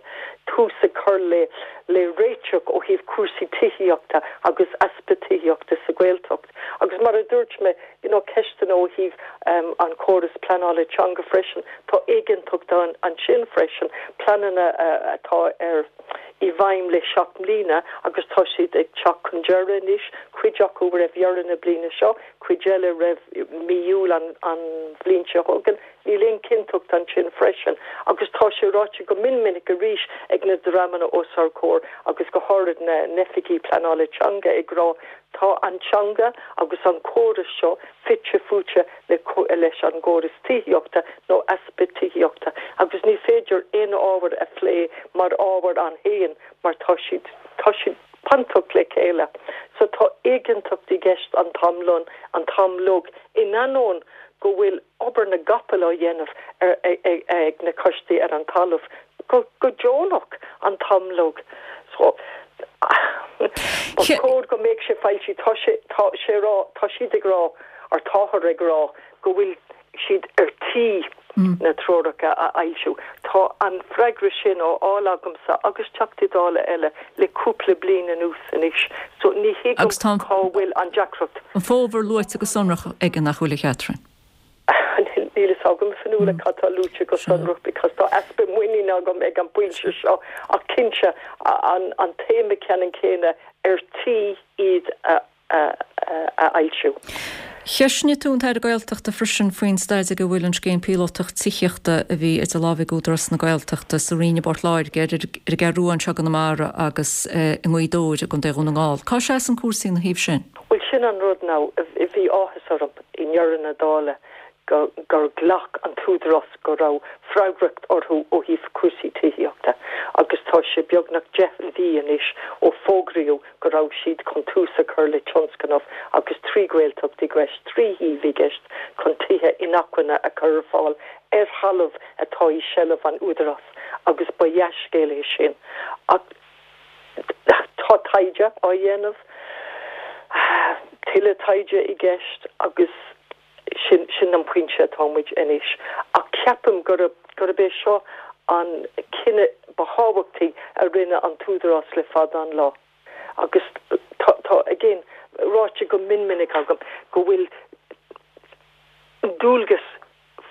tús a chur le le réiteach ó thaobh cúrsaí tithíochta agus easpa tithíochta sa Ghaeltacht. Agus mar a dúirt mé, you know, ceisteanna ó thaobh an chóras pleanála teanga freisin, tá éiginnteacht ann ansin freisin, pleananna atá ar i bhfeidhm le 7 mbliana agus tá siad ag teacht chun deireadh anois, cuid acu roimh dheireadh na bliana seo, cuid eile roimh mí Iúil an an bhliain seo chugainn. Níl aon chinnteacht ansin freisin agus tá sé ráite go mion minic arís ag na dreamanna os ár gcomhair agus go háirid na n-oifigigh pleanála teanga ag rá Tá an teanga agus an córas seo fite fuaite le leis an gcóras tithíochta nó easpa tithíochta agus ní féidir aon ábhar a phlé mar ábhar ann féin mar tá siad tá siad bainteach le chéile. So tá éiginnteacht i gceist an t-am lon an t-am uilig in ainneoin go bhfuil obair na gcapall á dhéanamh ag na coistí ar an talamh go deonach an t-am uilig. So, ba chóir go mbeadh sé foilsithe. Tá sé, tá sé rá, tá siad ag rá, or táthar ag rá go bhfuil siad ar tí na treoracha a fhoilsiú. Tá an freagra sin á fháil agamsa agus Teachtaí Dála eile le cúpla bliain anuas anois. So ní thuigim Agus tá cá bhfuil an deacracht. an fómhar luaite go sonrach aige nach bhfuil, a Chatherine? Níl fhios agam, a Fionnuala, cad tá luaite go sonrach because tá easpa muiníne agam ag an bpointe seo ach cinnte an téama ceannann céanna ar tí iad a a fhoilsiú. Cheistnigh tú an tAire Gaeltachta freisin faoin staid ag a bhfuil an scéim píolótach tithíochta a bhí idir lámha ag Údarás na Gaeltachta sa Rinn i bPort Láirge, ar an gCeathrú Rua anseo i gConamara agus i nGaoth Dobhair i gContae Dhún na nGall. Cá seasann cúrsaí ina thaobh sin? Bhuel, sin an rud now, bhí áthas orm i ndeireadh na dála go gur ghlac an tÚdarás go raibh freagracht orthu ó thaobh cúrsaí tithíochta agus tá sé beagnach 10 mhí anois ó fógraíodh go raibh siad chun tús a chur le tionscnamh agus 3 Ghaeltacht i gceist, 3 shuíomh i gceist chun tithe inacmhainne a chur ar fáil ar thalamh atá i seilbh an Údarás agus ba dhea-scéal é sin ach tá taighde á dhéanamh, tuilleadh taighde i gceist agus. Sin, sin an pointe atá muid anois. Ach ceapaim gurb, gurb é seo an cinneadh ba thábhachtaí a rinne an tÚdarás le fada an lá. Agus tá, tá, again, ráite go mion minic agam go bhfuil dualgas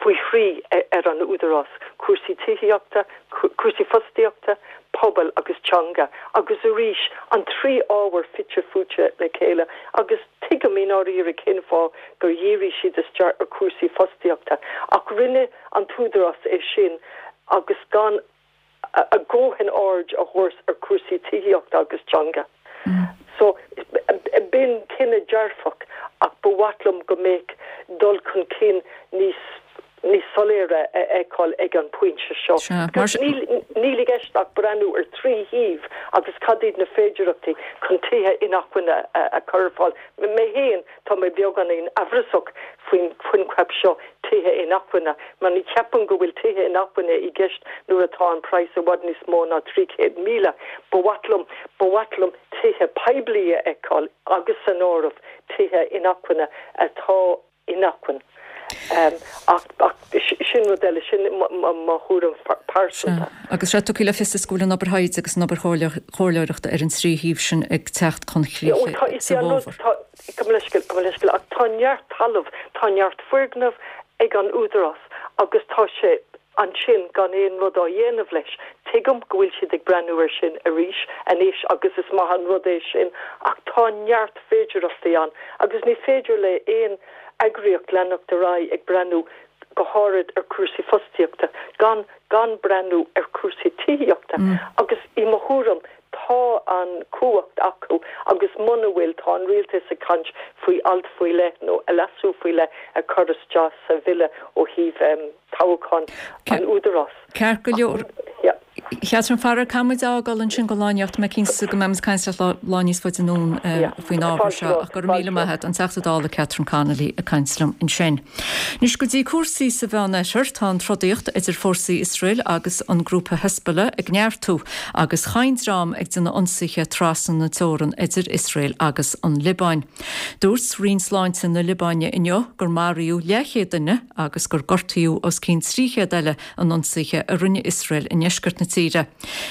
faoi thrí ar an Údarás, cúrsaí tithíochta, cúrsaí fostaíochta, pobail agus teanga. Agus arís, an trí ábhar fite fuaite le chéile agus tuigim i ndáiríre cén fáth gur dhírigh siad isteach ar chúrsaí fostaíochta ach rinne an tÚdarás é sin agus gan a dhóthain aird a thabhairt ar chúrsaí tithíochta agus teanga. So, b'in cinneadh dearfach ach ba mhaith liom go mbeadh dul chun cinn níos. Níos soiléire a fheiceáil ag an bpointe seo. Because níl i gceist ach breathnú ar thrí shuíomh agus cad iad na féidearthachtaí chun tithe inacmhainne a chur ar fáil. Mé féin, tá mé beagáinín amhrasach faoin choincheap seo tithe inacmhainne mar ní cheapaim go bhfuil tithe inacmhainne i gceist nuair atá an praghas i bhfad níos mó ná 300,000. Ba mhaith liom, ba mhaith liom tithe poiblí a fheiceáil agus san áireamh tithe inacmhainne atá inacmhainn. Ach sin rud eile, sin mo thuairim pearsanta. Sea, agus sé tugtha le fios is go bhfuil an obair thaighde agus an obair chomhairleoireachta ar an trí shuíomh sin ag teacht chun críche sa bhfómhar. Gabh mo leithscéal, gabh mo leithscéal, ach tá neart talamh, tá neart foirgneamh ag an Údarás agus tá sé ansin gan aon rud á dhéanamh leis. Tuigim go bhfuil siad ag breathnú air sin arís anois agus is maith an rud é sin ach tá neart féidearthachtaí ann agus ní féidir le aon eagraíocht leanacht ar aghaidh ag breathnú go háirid ar chúrsaí fostaíochta gan gan breathnú ar chúrsaí tithíochta agus i mo thuairim tá an chumhacht acu agus muna bhfuil tá an rialtas ag caint faoi alt faoi leith nó leasú faoi leith a chur isteach sa bhille ó thaobh toghchán an Údarás. Ceart go leor. Catherine, faraor, caithfidh muid a fhágáil ansin don lá inniu. Tá mé cinnte go mbeidh muid ag caint leat lá níos faide anonn faoin ábhar seo ach go raibh míle maith agat, an Teachta Dála Catherine Connolly ag caint liom ansin. Anois go dtí cúrsaí sa Mheánoirthear, tá an trodaíocht idir fórsaí Iosrael agus an grúpa Hezbollah ag neartú agus chaon dream ag déanamh ionsaithe trasna na teorann idir Iosrael agus an Liobáin. Dúirt Roinn Sláinte na Liobáine inniu gur maraíodh leathchéad duine, agus gur gortaíodh os cionn 300 eile in ionsaithe a rinne Iosrael i ndeisceart na tíre.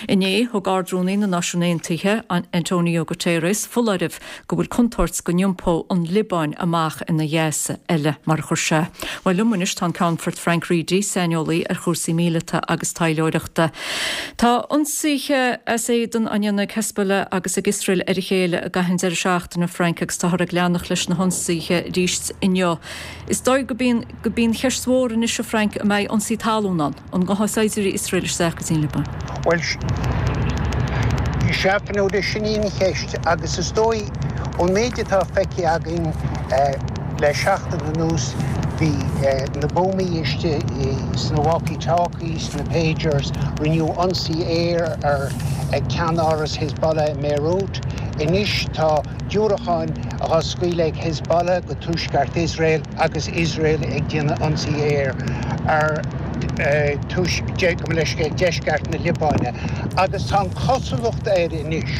Inné, thug Ard-Rúnaí na Náisiún Aontaithe, Antonio Guterres, foláireamh go bhfuil contúirt go n-iompódh an Liobáin amach ina Ghaza eile, mar a chuir sé. Bhuel, liom anois tá an Ceannfort Frank Reidy, saineolaí ar chúrsaí míleata agus taidhleoireachta. Tá ionsaithe as éadan á ndéanamh ag Hezbollah agus ag Iosrael ar a chéile i gcaitheamh an deireadh seachtaine, Frank, agus táthar ag leanacht leis na hionsaithe arís inniu. Is dóigh gurb í gurb í an cheist mhór anois, a Frank, an mbeidh ionsaí talún ann? An ngabhfaidh saighdiúirí Iosrael isteach go dtí an Liobáin? Bhuel, sea, Fionnuala, sin í an cheist agus is dóigh, ón méid atá feicthe againn le seachtain anuas, bhí na buamaí istigh sna walkie-talkies, sna pagers, rinneadh ionsaí aeir ar cheannáras Hezbollah i mBeirut. Anois tá diúracáin á scaoileadh ag Hezbollah go tuaisceart Iosrael agus Iosrael ag déanamh ionsaí aeir ar gabh mo leithscéal, deisceart na Liobáine agus tá an chosúlacht air anois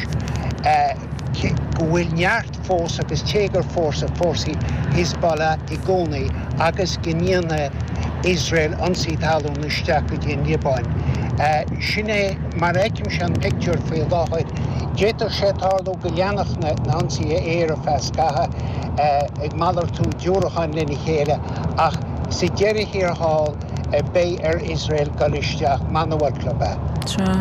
go bhfuil neart fós agus téagar fós ag fórsaí Hezbollah i gcónaí agus go ndéanfaidh Iosrael ionsaí talún isteach go dtí an Liobáin. Sin é mar a fheicimse an pictiúr faoi láthair. D'fhéadfadh sé tarlú go leanfadh na hionsaithe aeir ar feadh scaitheamh, ag malartú diúracáin lena chéile, ach sa deireadh thiar thall, beidh ar Iosrael dul isteach, mana bhfuil club é. Sea.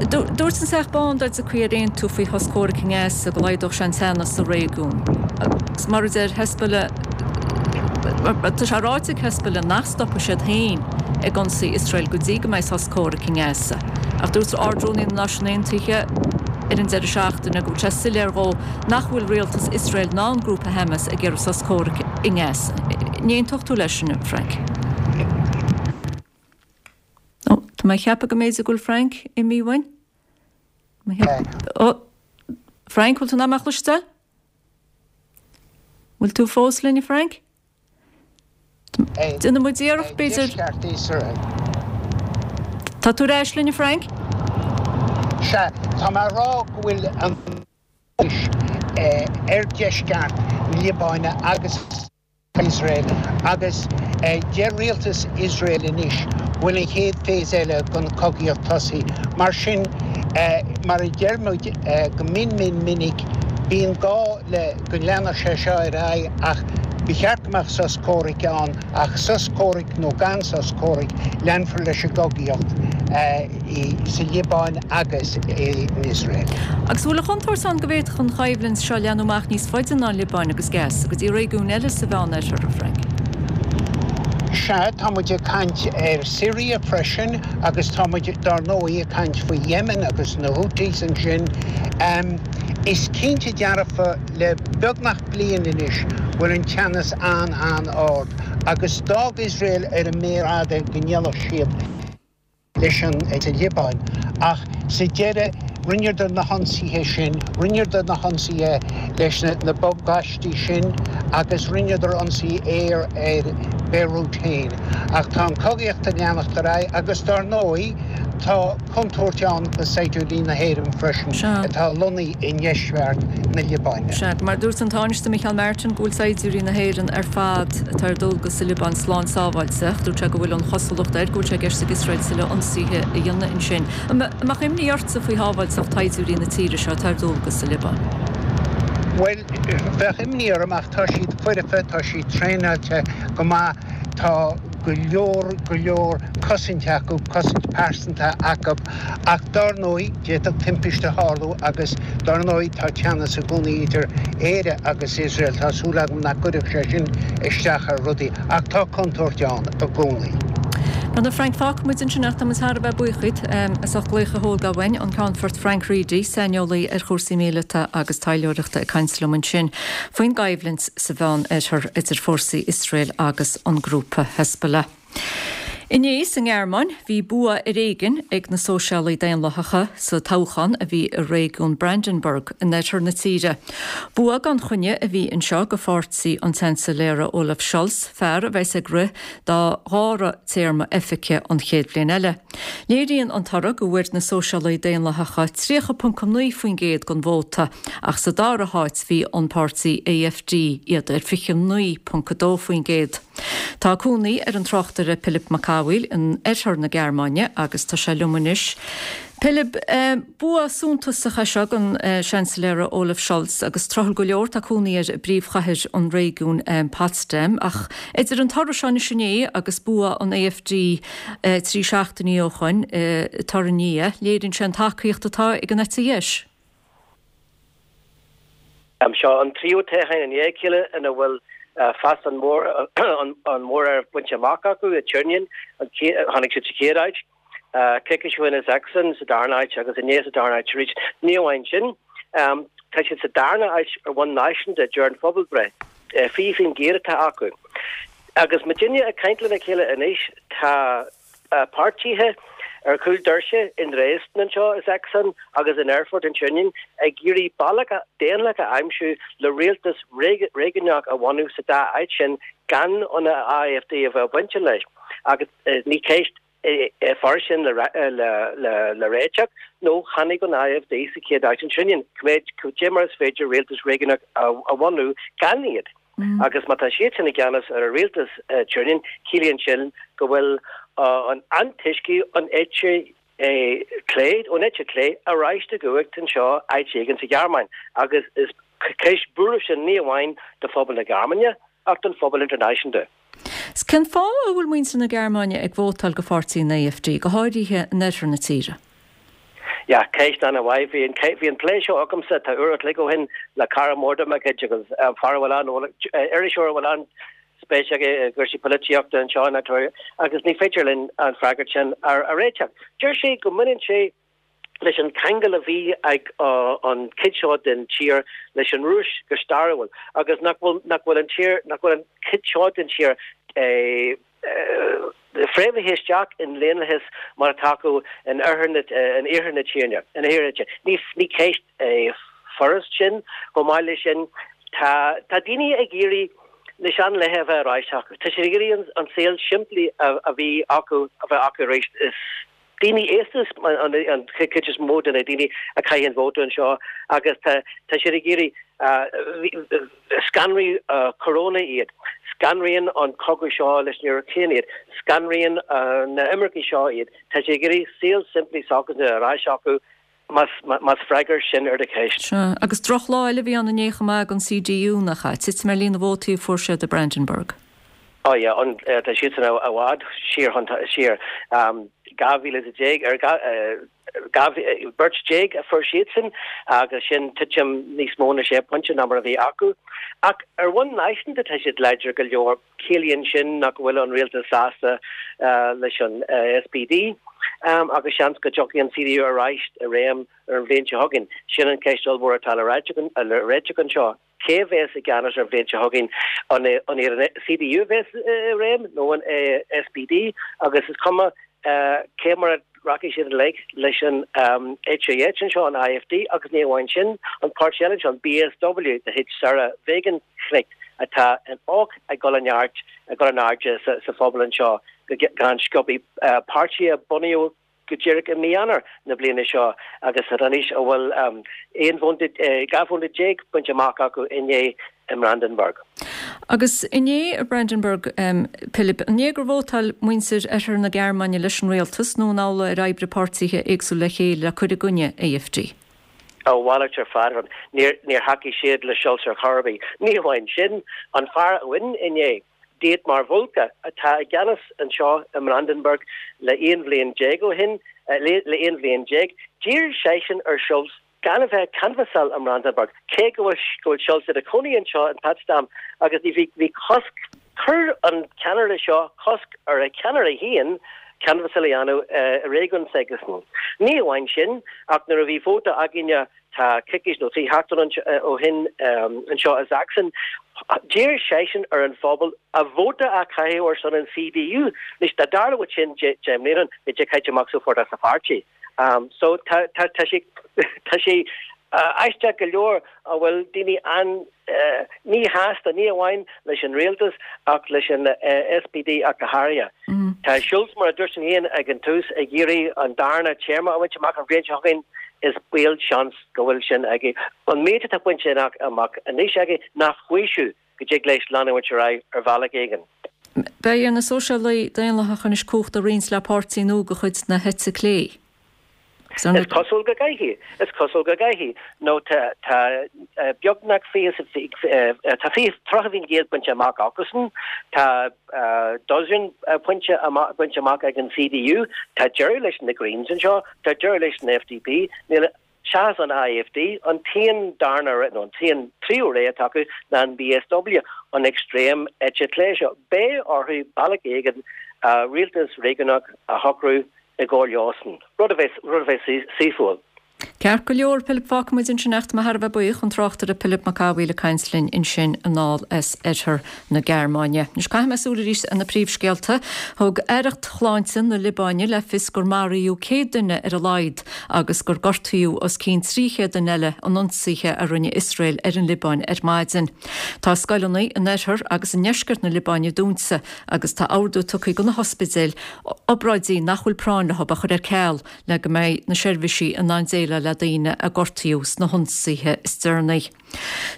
Dúirt an Teach Bán dá dtiocfaí ar aontú faoi shos comhraic i nGaza go laghdódh sé an teannas sa réigiún. Agus mar a deir Hezbollah, tá sé ráite ag Hezbollah nach stopfaidh siad féin ag ionsaí Iosrael go dtí go mbeidh sos comhraic i nGaza. Ach dúirt Ard-Rúnaí na Náisiún Aontaithe ar an deireadh seachtaine go bhfuil sé soiléir dhó nach bhfuil rialtas Iosrael ná an grúpa Hamas ag iarraidh sos comhraic i nGaza. An aontódh tú leis sin, a Frank? Ó, tá mé ag ceapadh go mb'fhéidir go bhfuil Frank imithe uainn. Ó, Frank, bhfuil tú in ann mé a chloisteáil? Bhfuil tú fós linn, a Frank? Déanfaidh muid iarracht, b'fhéidir. Tá tú ar ais linn, a Frank? Sea, tá mé a rá go bhfuil an ar dheisceart na Liobáine agus Iosrael agus deir rialtas Iosrael anois go bhfuil an chéad phase eile den chogaíocht tosaithe. Mar sin, mar a deir muid go mion mion minic, bíonn gá le go leanfadh sé seo ar aghaidh ach ba cheart go mbeadh sos comhraic ann ach sos comhraic nó gan sos comhraic, leanfar leis an gcogaíocht sa Liobáin agus in Iosrael. Agus an bhfuil an chontúirt ann go bhféadfadh an choimhlint seo leathnú amach níos faide ná an Liobáin agus Gaza, go dtí réigiúin eile sa Mheánoirthear, a Frank? Sea, tá muid ag caint ar Syria freisin agus tá muid, dár ndóigh, ag caint faoi Yemen agus na Houthis ansin. Is cinnte dearfa le beagnach bliain anois go bhfuil an teannas an-an-ard. Agus d'fhág Iosrael ar an méar fhada go ndéanfadh siad leis an Liobáin. Ach sa deireadh, rinneadar na hionsaithe sin, rinneadar na hionsaithe leis na bobghaistí sin agus rinneadar ionsaí aeir ar Beirut féin. Ach tá an chogaíocht ag leanacht ar aghaidh agus dar ndóigh tá contúirt ann do saighdiúirí na hÉireann freisin atá lonnaithe i ndeisceart na Liobáine. Sea, mar dúirt an Tánaiste Micheál Martin go bhfuil saighdiúirí na hÉireann ar fad atá ar dualgas sa Liobáin slán sábháilte ach dúirt sé go bhfuil an chosúlacht air go bhfuil sé i gceist ag Iosrael tuilleadh ionsaithe a dhéanamh ansin. An mbeadh imní ortsa faoi shábháilteacht shaighdiúirí na tíre seo atá ar dualgas sa Liobáin? Bhuel, bheadh imní orm ach tá siad foirfe, tá siad traenáilte go maith, tá go leor, go leor cosaint acu, cosaint pearsanta acu. Ach dár ndóigh, d'fhéadfadh timpiste tharlú agus dár ndóigh tá teannas i gcónaí idir Éire agus Iosrael. Tá súil agam nach gcuirfeadh sé sin isteach ar rudaí ach tá contúirt ann i gcónaí. Bhuel a Frank, fágfaidh muid ansin ach tá muid thar a bheith buíoch díot as ucht glaoch a thógáil uainn, an Ceannfort Frank Reidy, saineolaí ar chúrsaí míleata agus taidhleoireachta ag caint liom ansin faoin gcoimhlint sa Mheán-Oirthear idir fórsaí Iosrael agus an grúpa Hezbollah. Inné sa nGearmáin, bhí bua ar éigin ag na Sóisialaigh Daonlathacha sa toghchán a bhí i réigiún Brandenburg in oirthear na tíre. Bua gan choinne a bhí anseo do pháirtí an tSeansailéara Olaf Scholz, fear a bheas ag rith dá dhara téarma oifige an chéad bhliain eile. Léiríonn an toradh go bhfuair na Sóisialaigh Daonlathacha 30.9% den vóta ach sa dara háit bhí an páirtí AfD, iad ar 29.2%. Tá cónaí ar an tráchtaire Pilib Mac Cathmhaoil in oirthear na Gearmáine agus tá sé liom anois. Pilib, bua suntasach é seo don Seansailéara Olaf Scholz agus tráthúil go leor tá cónaí air i bpríomhchathair an réigiúin, Potsdam. Ach idir an toradh seo anois inné agus bua an AfD 3 seachtainí ó shoin i Thuringia, léiríonn sé an tacaíocht atá ag an eite dheis. Seo an tríú toghchán i ndiaidh a chéile ina bhfuil fás an mhóráirimh bainte amach acu i Thüringen. Tháinig siad sa chéad áit, coicís ó shin i Sachsen sa darna háit agus inné sa darna háit arís. Ní amháin sin, tá siad sa darna háit ar bhonn náisiúnta, deir an phobalbhreith. 20% atá acu. Agus muidinne ag caint lena chéile anois, tá. Páirtithe ar chúl doirse i nDresden anseo i Sachsen agus in Erfurt in Thüringen ag iarraidh bealach daonlathach a aimsiú le rialtas réigiúnach a bhunú sa dá áit sin gan an AfD a bheith bainte leis agus ní ceist furast sin le réiteach nó tháinig an AfD sa chéad áit in Thüringen. Cad é mar is féidir rialtas réigiúnach a bhunú gan iad. Agus má tá siadsan i gceannas ar an rialtas Thüringen, ciallaíonn sin go bhfuil an antoisceadh an eite chlé, ón eite chlé ar ais i gcumhacht anseo áit éigin sa Ghearmáin. Agus is ceist buairimh sin ní amháin do phobal na Gearmáine ach don phobal idirnáisiúnta. Cén fáth a bhfuil muintir na Gearmáine ag vótáil do pháirtí an AfD, go háirithe in oirthear na tíre? Yeah, ceist an-mhaith. Bhí an, bhí an plé seo agamsa, tá uair a chloig ó shin, le cara mór de mo chuid agus fear a bhfuil an, iriseoir a bhfuil an-spéis aige i gcúrsaí polaitíochta anseo in Ontario agus ní féidir linn an freagairt sin a réiteach. Deir sé go mbaineann sé leis an cheangal a bhí ag an chuid seo den tír leis an Rúis go stairiúil agus nach bhfuil, nach bhfuil an tír, nach bhfuil an chuid seo den tír fréamhaithe isteach i ndaonlathas mar atá acu in oirthear na, in iarthar na tíre. In iarthar na tíre. Ní, ní ceist furast sin. Chomh maith leis sin, tá, tá daoine ag iarraidh na seanlaetha a bheith ar ais acu. Tá siad ag iarraidh an, an saol simplí a, a bhí acu a bheith acu arís. Is daoine aosta an chuid is mó de na daoine a chaitheann vóta anseo agus tá siad ag iarraidh, scanraigh Corona iad, scanraíonn an cogadh seo leis an Úcráin iad, scanraíonn na imircigh seo iad. Tá siad ag iarraidh saol simplí s'acusan ar ais acu más freagra sin ar do cheist. Sea, agus drochlá eile a bhí ann inné chomh maith don CDU, nach ea? Titim ar líon na vótaí a fuair siad i Brandenburg. Oh yeah, an, tá siadsan i bhfad siar chun, siar. 12,000 ar, 12 beirt a fuair siadsan agus sin titim níos mó na sé pointe ná mar a bhí acu. Ach ar bhonn náisiúnta tá siad láidir go leor. Ciallaíonn sin nach bhfuil an rialtas sásta leis an SPD agus seans go dtiocfaidh an CDU ar ais i réim ar an bhliain seo chugainn. Sin an cheist ollmhór atá le réiteach anseo. Cé a bheas i gceannas ar an bhliain seo chugainn? An iad an CDU a bheas i réim nó an SPD? Agus is cuma cé mar a rachaidh siad i ngleic leis an eite dheis anseo, an AfD, agus ní amháin sin, an páirtí eile anseo, an BSW de chuid Sahra Wagenknecht, atá auch ag dul i neart, ag dul in airde sa phobal anseo go han-sciobtha. Páirtí a bunaíodh go díreach i mí Eanáir na bliana seo agus anois a bhfuil 11 vóta, 12 vóta bainte amach acu inné i mBrandenburg. Agus inné i Brandenburg, Pilib, an é gur vótáil muintir oirthear na Gearmáine leis an rialtas nó an amhlaidh ar oibrigh páirtithe éagsúla le chéile le cur i gcoinne AfD? A mhalairt ar fad. Níor thacaigh siad le Scholz ar chor ar bith. Ní amháin sin, an fear a bhain inné, Dietmar Woidke, atá i gceannas anseo i mBrandenburg le 11 bhliain ó shin, le 11 bhliain, d'iarr seisean ar Scholz gan a bheith ag canbhasáil i mBrandenburg, cé go bhfuil go bhfuil Scholz ina chónaí anseo in Potsdam agus ní bhí bhí cosc, chuir an ceannaire seo cosc ar a cheannaire féin canbhasáil a dhéanamh i réigiún s'aigesean. Ní amháin sin, ach nuair a bhí vóta againne Tá coicís nó 3 sheachtain ó shin anseo i Sachsen, d'iarr seisean ar an phobal a vóta a chaitheamh ar son an CDU. Anois, dá dtarlódh sin 10 mbliana ó shin, bheadh sé caite amach sufort as an pháirtí. So tá tá sé tá sé aisteach go leor a bhfuil daoine an míshásta, ní amháin leis an rialtas ach leis an SPD ach go háirithe. Tá Scholz, mar a dúirt mé féin ag an tús, ag iarraidh an darna téarma a bhaint amach an bhliain seo chugainn. Is baol seans go bhfuil sin aige. An méid atá bainte amach anois aige, nach faoiseamh go dtig leis leanúint ar aghaidh ar bhealach éigin. Beidh ar na Sóisialaigh Daonlathacha anois cumhacht a roinnt le páirtí nua de chuid na heite clé. Is cosúil go gcaithfidh. Is cosúil go gcaithfidh. Nó tá tá beagnach 20 tá 30% bainte amach acusan. Tá dosaen pointe bainte amach ag an CDU. Tá deireadh leis na Greens anseo. Tá deireadh leis an FDP. Níl seachas an AfD, an t-aon darna nó an t-aon tríú rogha atá acu ná an BSW, an extreme eite chlé seo. Beidh orthu bealach éigin rialtas réigiúnach a shocrú i gcomhar leosan, rud a bheidh, rud a bheidh saoithiúil. Ceart go leor, Pilib, fágfaidh muid ansin é ach tá mé thar a bheith buíoch, an tráchtaire Pilib Mac Cathmhaoil ag caint linn ansin anall as oirthear na Gearmáine. Anois caithfidh mé súil arís ar na príomhscéalta. Thug Aireacht Shláinte na Liobáine le fios gur maraíodh 100 duine ar a laghad agus gur gortaíodh os cionn 300 duine eile in ionsaithe a rinne Iosrael ar an Liobáin ar maidin. Tá scoileanna in oirthear agus i ndeisceart na Liobáine dúnta agus tá ordú tugtha do na hospidéil obráidí nach bhfuil práinn leo a chur ar ceal le go mbeidh na seirbhísí in ann déileáil le daoine a gortaíodh sna hionsaithe is deireanaí.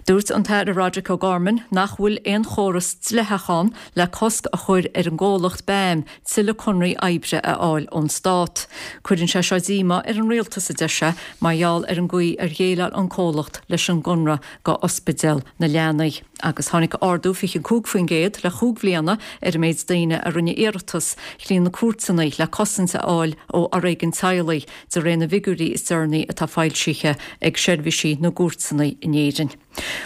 Dúirt an tAire Roderic O'Gorman nach bhfuil aon chóras dleathach ann le cosc a chur ar an gcomhlacht BAM tuilleadh conraí oibre a fháil ón stát. Cuireann sé seo díomá ar an rialtas, a deir sé, mar gheall ar an gcaoi ar dhéileáil an comhlacht leis an gconradh go Ospidéal na Leanaí. Agus tháinig ardú 25% le chúig bhliana ar an méid daoine a rinne iarratas thrí na cúirteanna le cosaint a fháil ó fhoréigean teaghlaigh, de réir na bhfigiúirí is deireanaí atá foilsithe ag seirbhísí na gcúirteanna in Éirinn.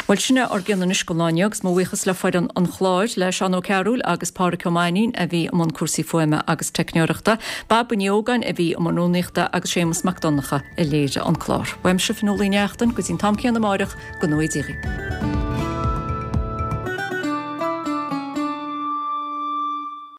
Bhuel, sin é ár gcion anois don lá inniu agus mo bhuíochas le foireann an chláir, le Seán Ó Cearúil agus Pádhraic Ó Mainnín a bhí i mbun cúrsaí fuaime agus teicneoireachta, Baba Ní Ógáin a bhí i mbun rúnaíochta agus Séamus Mac Donncha a léirigh an clár. Uaimse Fionnuala Uí Neachtain, go dtí an t-am céanna amáireach, go ngnóthaí Dia dhaoibh.